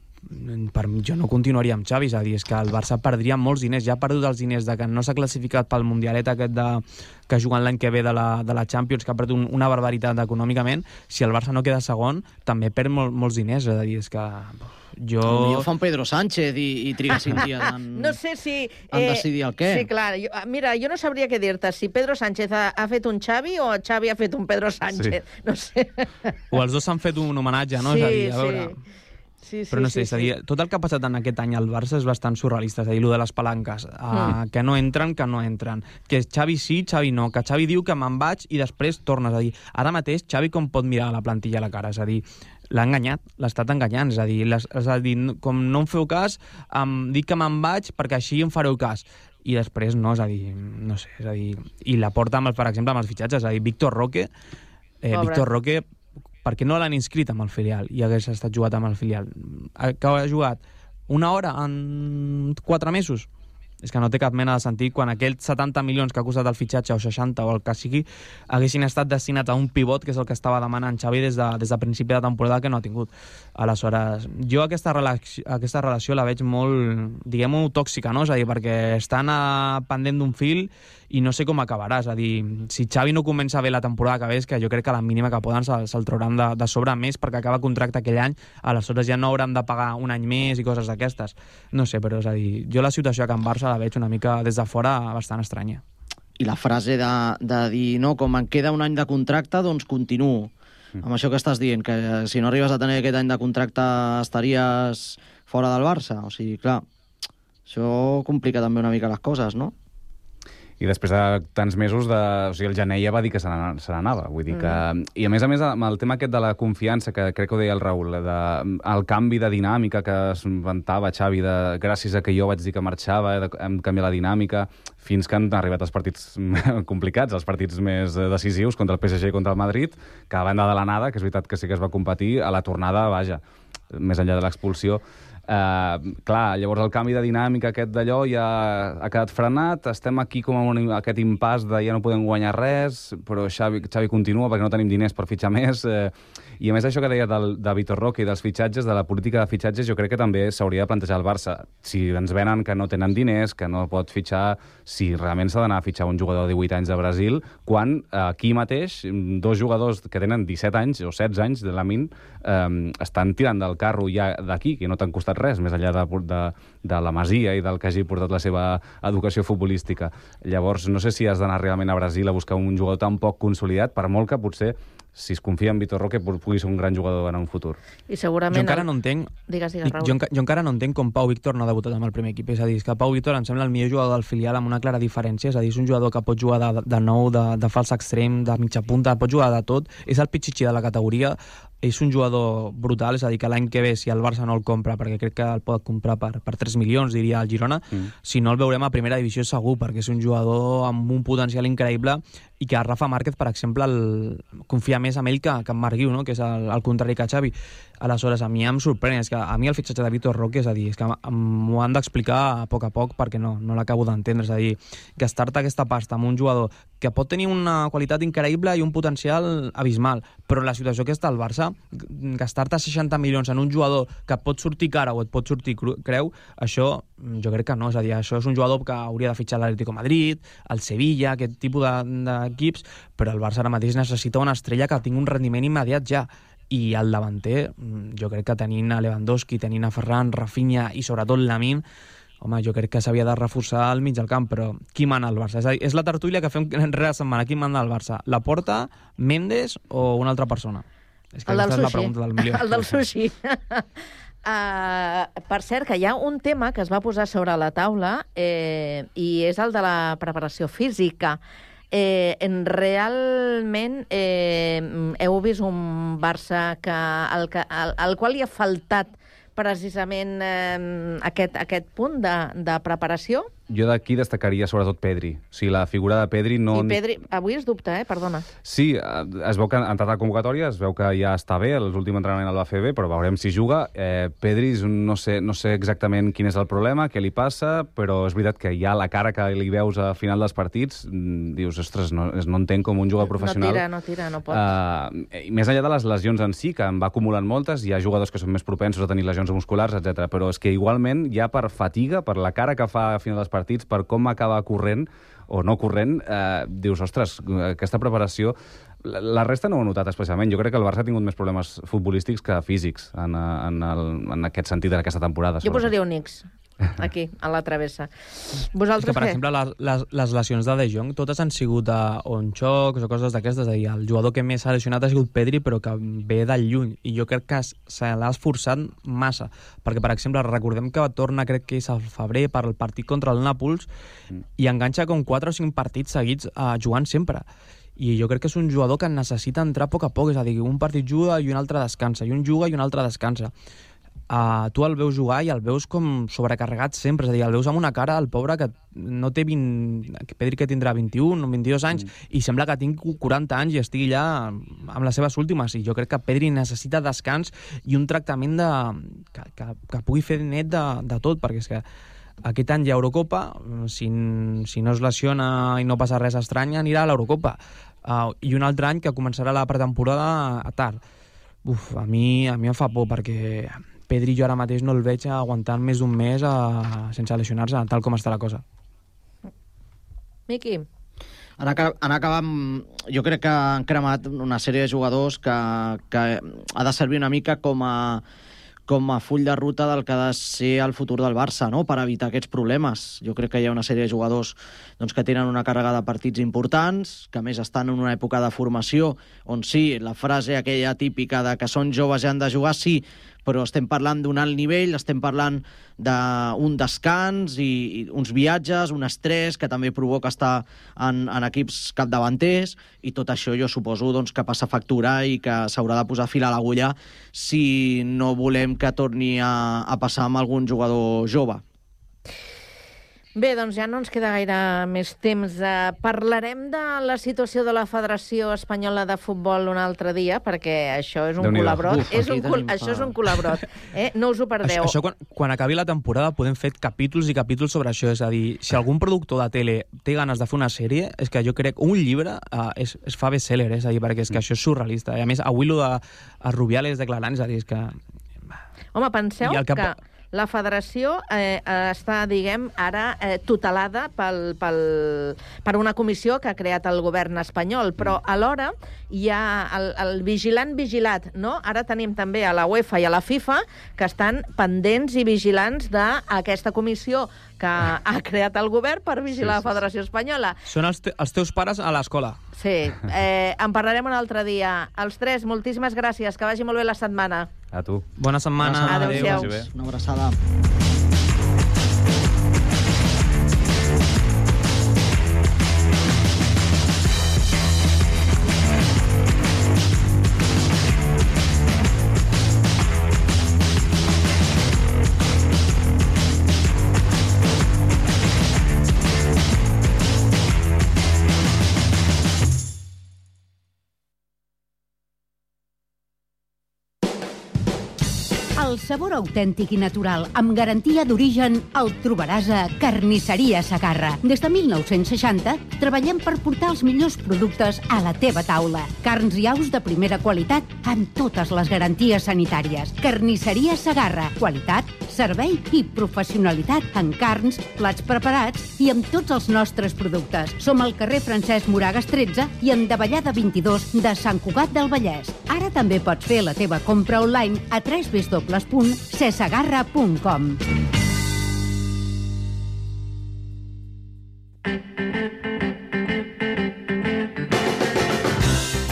per mi, jo no continuaria amb Xavi, és a dir, és que el Barça perdria molts diners, ja ha perdut els diners de que no s'ha classificat pel Mundialet aquest de, que juguen l'any que ve de la, de la Champions, que ha perdut una barbaritat econòmicament. Si el Barça no queda segon, també perd mol, molts diners, és a dir, és que jo... Jo fa un Pedro Sánchez i, i triga cinc dies en, no sé si, en decidir el què. Sí, clar. Jo, mira, jo no sabria què dir-te, si Pedro Sánchez ha, ha fet un Xavi o Xavi ha fet un Pedro Sánchez. Sí. No sé. O els dos s'han fet un homenatge, no? Sí, és a dir, a veure... sí. Sí, sí, però no sé, sí, és a dir, tot el que ha passat en aquest any al Barça és bastant surrealista, és a dir, allò de les palanques, uh, mm. que no entren, que no entren, que Xavi sí, Xavi no, que Xavi diu que me'n vaig i després tornes a dir, ara mateix Xavi com pot mirar la plantilla a la cara, és a dir, l'ha enganyat, l'ha estat enganyant, és a dir, les, és a dir, com no em feu cas, em dic que me'n vaig perquè així em fareu cas, i després no, és a dir, no sé, és a dir, i la porta, amb, per exemple, amb els fitxatges, és a dir, Víctor Roque, eh, Víctor Roque, perquè no l'han inscrit amb el filial i hagués estat jugat amb el filial, que ha jugat una hora en quatre mesos, És que no té cap mena de sentit quan aquells setanta milions que ha costat el fitxatge, o seixanta, o el que sigui, haguessin estat destinats a un pivot, que és el que estava demanant Xavi des de, des de principi de temporada, que no ha tingut. Aleshores, jo aquesta relació, aquesta relació la veig molt, diguem-ho, tòxica, no? És a dir, perquè estan a, pendent d'un fil i no sé com acabarà. És a dir, si Xavi no comença bé la temporada que ve, és que jo crec que a la mínima que poden se'l se trauran de, de sobre més perquè acaba contracte aquell any, aleshores ja no hauran de pagar un any més i coses d'aquestes. No sé, però és a dir, jo la situació a Can Barça la veig una mica des de fora bastant estranya. I la frase de, de dir, no, com em queda un any de contracte, doncs continuo. Mm. Amb això que estàs dient, que si no arribes a tenir aquest any de contracte estaries fora del Barça. O sigui, clar, això complica també una mica les coses, no? I després de tants mesos, de, o sigui, el gener ja va dir que se n'anava. Vull dir que... Mm. I a més a més, amb el tema aquest de la confiança, que crec que ho deia el Raül, de, el canvi de dinàmica que es inventava Xavi, de, gràcies a que jo vaig dir que marxava, de, hem canviat la dinàmica, fins que han arribat els partits complicats, els partits més decisius contra el P S G i contra el Madrid, que a banda de l'anada, que és veritat que sí que es va competir, a la tornada, vaja, més enllà de l'expulsió. Uh, clar, llavors el canvi de dinàmica aquest d'allò ja ha quedat frenat, estem aquí com en un, aquest impàs de ja no podem guanyar res, però Xavi, Xavi continua perquè no tenim diners per fitxar més, uh, i a més això que deia del, de Vitor Roque i dels fitxatges, de la política de fitxatges, jo crec que també s'hauria de plantejar el Barça. Si ens venen que no tenen diners, que no pot fitxar, si realment s'ha d'anar a fitxar un jugador de divuit anys de Brasil, quan uh, aquí mateix dos jugadors que tenen disset anys o setze anys de la min um, estan tirant del carro ja d'aquí, que no t'han costat res, més enllà de, de, de la Masia i del que hagi portat la seva educació futbolística. Llavors, no sé si has d'anar realment a Brasil a buscar un jugador tan poc consolidat, per molt que potser, si es confia en Vitor Roque, pugui ser un gran jugador en un futur. I segurament... Jo encara no entenc... Digues, digues, Raül. Jo, jo encara no entenc com Pau Víctor no ha debutat amb el primer equip. És a dir, és que Pau Víctor em sembla el millor jugador del filial amb una clara diferència. És a dir, és un jugador que pot jugar de, de nou, de, de fals extrem, de mitja punta, pot jugar de tot. És el pitxitxí de la categoria. És un jugador brutal, és a dir, que l'any que ve, si el Barça no el compra, perquè crec que el pot comprar per, per tres milions, diria el Girona, mm. si no el veurem a primera divisió segur, perquè és un jugador amb un potencial increïble i que Rafa Márquez, per exemple, el, confia més en ell que, que en Marc Guiu, no? Que és el, el contrari que Xavi. Aleshores, a mi em sorprèn, és que a mi el fitxatge de Vitor Roque, és a dir, és que m'ho han d'explicar a poc a poc perquè no, no l'acabo d'entendre, és a dir, gastar-te aquesta pasta amb un jugador que pot tenir una qualitat increïble i un potencial abismal, però la situació que està al Barça, gastar-te seixanta milions en un jugador que et pot sortir cara o et pot sortir creu, això jo crec que no, és a dir, això és un jugador que hauria de fitxar l'Atlético Madrid, el Sevilla, aquest tipus d'equips, però el Barça ara mateix necessita una estrella que tingui un rendiment immediat ja. I el davanter, jo crec que tenint a Lewandowski, tenint a Ferran, Rafinha i sobretot Lamine, home, jo crec que s'havia de reforçar al mig del camp, però qui mana al Barça? És a dir, és la tertúlia que fem rere setmana. Qui mana al Barça? Laporta, Méndez o una altra persona? És que el del és la sushi. pregunta del milió. El del sushi. Uh, per cert, que hi ha un tema que es va posar sobre la taula eh, i és el de la preparació física. Eh, en realment eh, heu vist un Barça que, al, que, al, al qual li ha faltat precisament eh, aquest, aquest punt de, de preparació? Jo d'aquí destacaria sobretot Pedri. O sigui, la figura de Pedri no... I Pedri, avui es dubta, eh? Perdona. Sí, es veu que ha entrat a la convocatòria, es veu que ja està bé, l'últim entrenament el va fer bé, però veurem si juga. Eh, Pedri, no sé, no sé exactament quin és el problema, què li passa, però és veritat que ja la cara que li veus a final dels partits, dius, ostres, no, no entenc com un jugador professional... No tira, no tira, no pot. Eh, més enllà de les lesions en si, que en va acumulant moltes, hi ha jugadors que són més propensos a tenir lesions musculars, etcètera. Però és que igualment, ja per fatiga, per la cara que fa a final dels partits, per com acaba corrent o no corrent, eh, dius, ostres, aquesta preparació... La, la resta no ho he notat especialment. Jo crec que el Barça ha tingut més problemes futbolístics que físics en, en, el, en aquest sentit d'aquesta temporada. Jo posaria un X aquí, a la travessa. Vosaltres que, per què? exemple, les, les, les lesions de De Jong totes han sigut a, o en xocs o coses d'aquestes. És a dir, el jugador que més s'ha lesionat ha sigut Pedri, però que ve de lluny. I jo crec que se l'ha esforçat massa. Perquè, per exemple, recordem que torna, crec que és al febrer, per el partit contra el Nàpols, mm. i enganxa com quatre o cinc partits seguits uh, jugant sempre. I jo crec que és un jugador que necessita entrar a poc a poc. És a dir, un partit juga i un altre descansa, i un juga i un altre descansa. Uh, tu el veus jugar i el veus com sobrecarregat sempre, és a dir, el veus amb una cara, el pobre que no té vint... Pedri que tindrà vint-i-un o vint-i-dos anys, mm. i sembla que tingui quaranta anys i estigui allà amb les seves últimes, i jo crec que Pedri necessita descans i un tractament de... que, que, que pugui fer net de, de tot, perquè és que Aquest any hi ha Eurocopa, si, si no es lesiona i no passa res estrany, anirà a l'Eurocopa. Uh, I un altre any que començarà la pretemporada a tard. Uf, a mi, a mi em fa por, perquè Pedri jo ara mateix no el veig aguantant més d'un mes a, sense lesionar-se, tal com està la cosa. Miqui? Han acabat, jo crec que han cremat una sèrie de jugadors que, que ha de servir una mica com a, com a full de ruta del que ha de ser el futur del Barça, no? Per evitar aquests problemes. Jo crec que hi ha una sèrie de jugadors doncs, que tenen una càrrega de partits importants, que a més estan en una època de formació on sí, la frase aquella típica de que són joves i han de jugar, sí, però estem parlant d'un alt nivell, estem parlant d'un descans i, i uns viatges, un estrès que també provoca estar en, en equips capdavanters, i tot això jo suposo doncs, que passa factura i que s'haurà de posar fil a l'agulla si no volem que torni a, a passar amb algun jugador jove. Bé, doncs ja no ens queda gaire més temps. Uh, parlarem de la situació de la Federació Espanyola de Futbol un altre dia, perquè això és un colabrot. Uf, és un col això és un colabrot. Eh? No us ho perdeu. Això, això quan, quan acabi la temporada podem fer capítols i capítols sobre això. És a dir, si algun productor de tele té ganes de fer una sèrie, és que jo crec un llibre uh, es, es fa best-seller, és a dir, perquè és que això és surrealista. I a més, avui el de Rubiales declarant, és a dir, és que... Home, penseu que... que la federació eh, està, diguem, ara eh, tutelada pel, pel, per una comissió que ha creat el govern espanyol, però alhora hi ha el, el vigilant vigilat, no? Ara tenim també a la UEFA i a la FIFA que estan pendents i vigilants d'aquesta comissió que ha creat el govern per vigilar sí, sí, la Federació Espanyola. Són els, te els teus pares a l'escola. Sí, eh, en parlarem un altre dia. Els tres, moltíssimes gràcies, que vagi molt bé la setmana. A tu. Bona setmana. Adéu-siau. Una abraçada. El sabor autèntic i natural, amb garantia d'origen, el trobaràs a Carnisseria Segarra. Des de mil nou-cents seixanta, treballem per portar els millors productes a la teva taula. Carns i aus de primera qualitat, amb totes les garanties sanitàries. Carnisseria Segarra. Qualitat, servei i professionalitat en carns, plats preparats i amb tots els nostres productes. Som al carrer Francesc Moragas tretze i en Davallada vint-i-dos de Sant Cugat del Vallès. Ara també pots fer la teva compra online a w w w punt cesegarra punt com.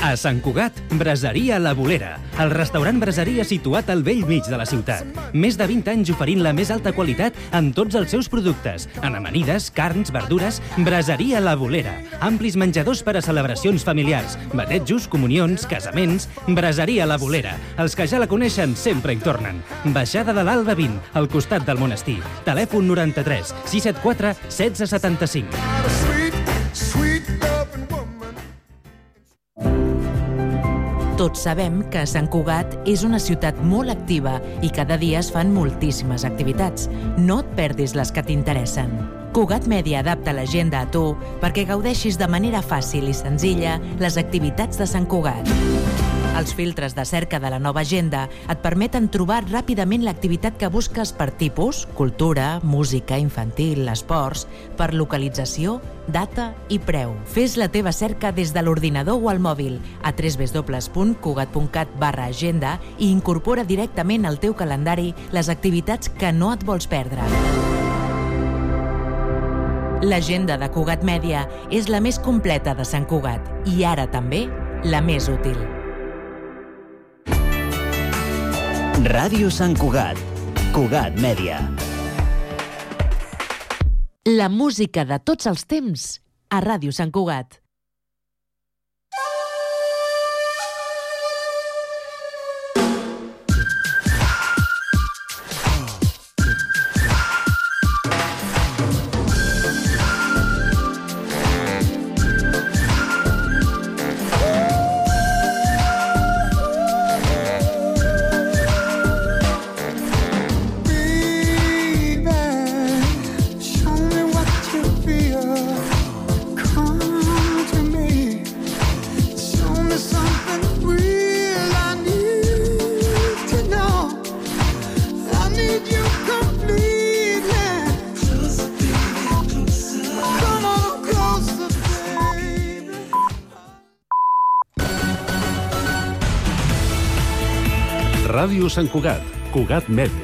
A Sant Cugat, Braseria La Bolera, el restaurant braseria situat al vell mig de la ciutat. Més de vint anys oferint la més alta qualitat en tots els seus productes. En amanides, carns, verdures, Braseria La Bolera. Amplis menjadors per a celebracions familiars, batejos, comunions, casaments, Braseria La Bolera. Els que ja la coneixen sempre hi tornen. Baixada de l'Alba vint, al costat del monestir. Telèfon noranta-tres sis set quatre setze setanta-cinc. Tots sabem que Sant Cugat és una ciutat molt activa i cada dia es fan moltíssimes activitats. No et perdis les que t'interessen. Cugat Mèdia adapta l'agenda a tu perquè gaudeixis de manera fàcil i senzilla les activitats de Sant Cugat. Els filtres de cerca de la nova agenda et permeten trobar ràpidament l'activitat que busques per tipus, cultura, música, infantil, esports, per localització, data i preu. Fes la teva cerca des de l'ordinador o al mòbil a w w w punt cugat punt cat barra agenda i incorpora directament al teu calendari les activitats que no et vols perdre. L'agenda de Cugat Mèdia és la més completa de Sant Cugat i ara també la més útil. Ràdio Sant Cugat, Cugat Mèdia. La música de tots els temps a Ràdio Sant Cugat. Ràdio Sant Cugat, Cugat Mèdia.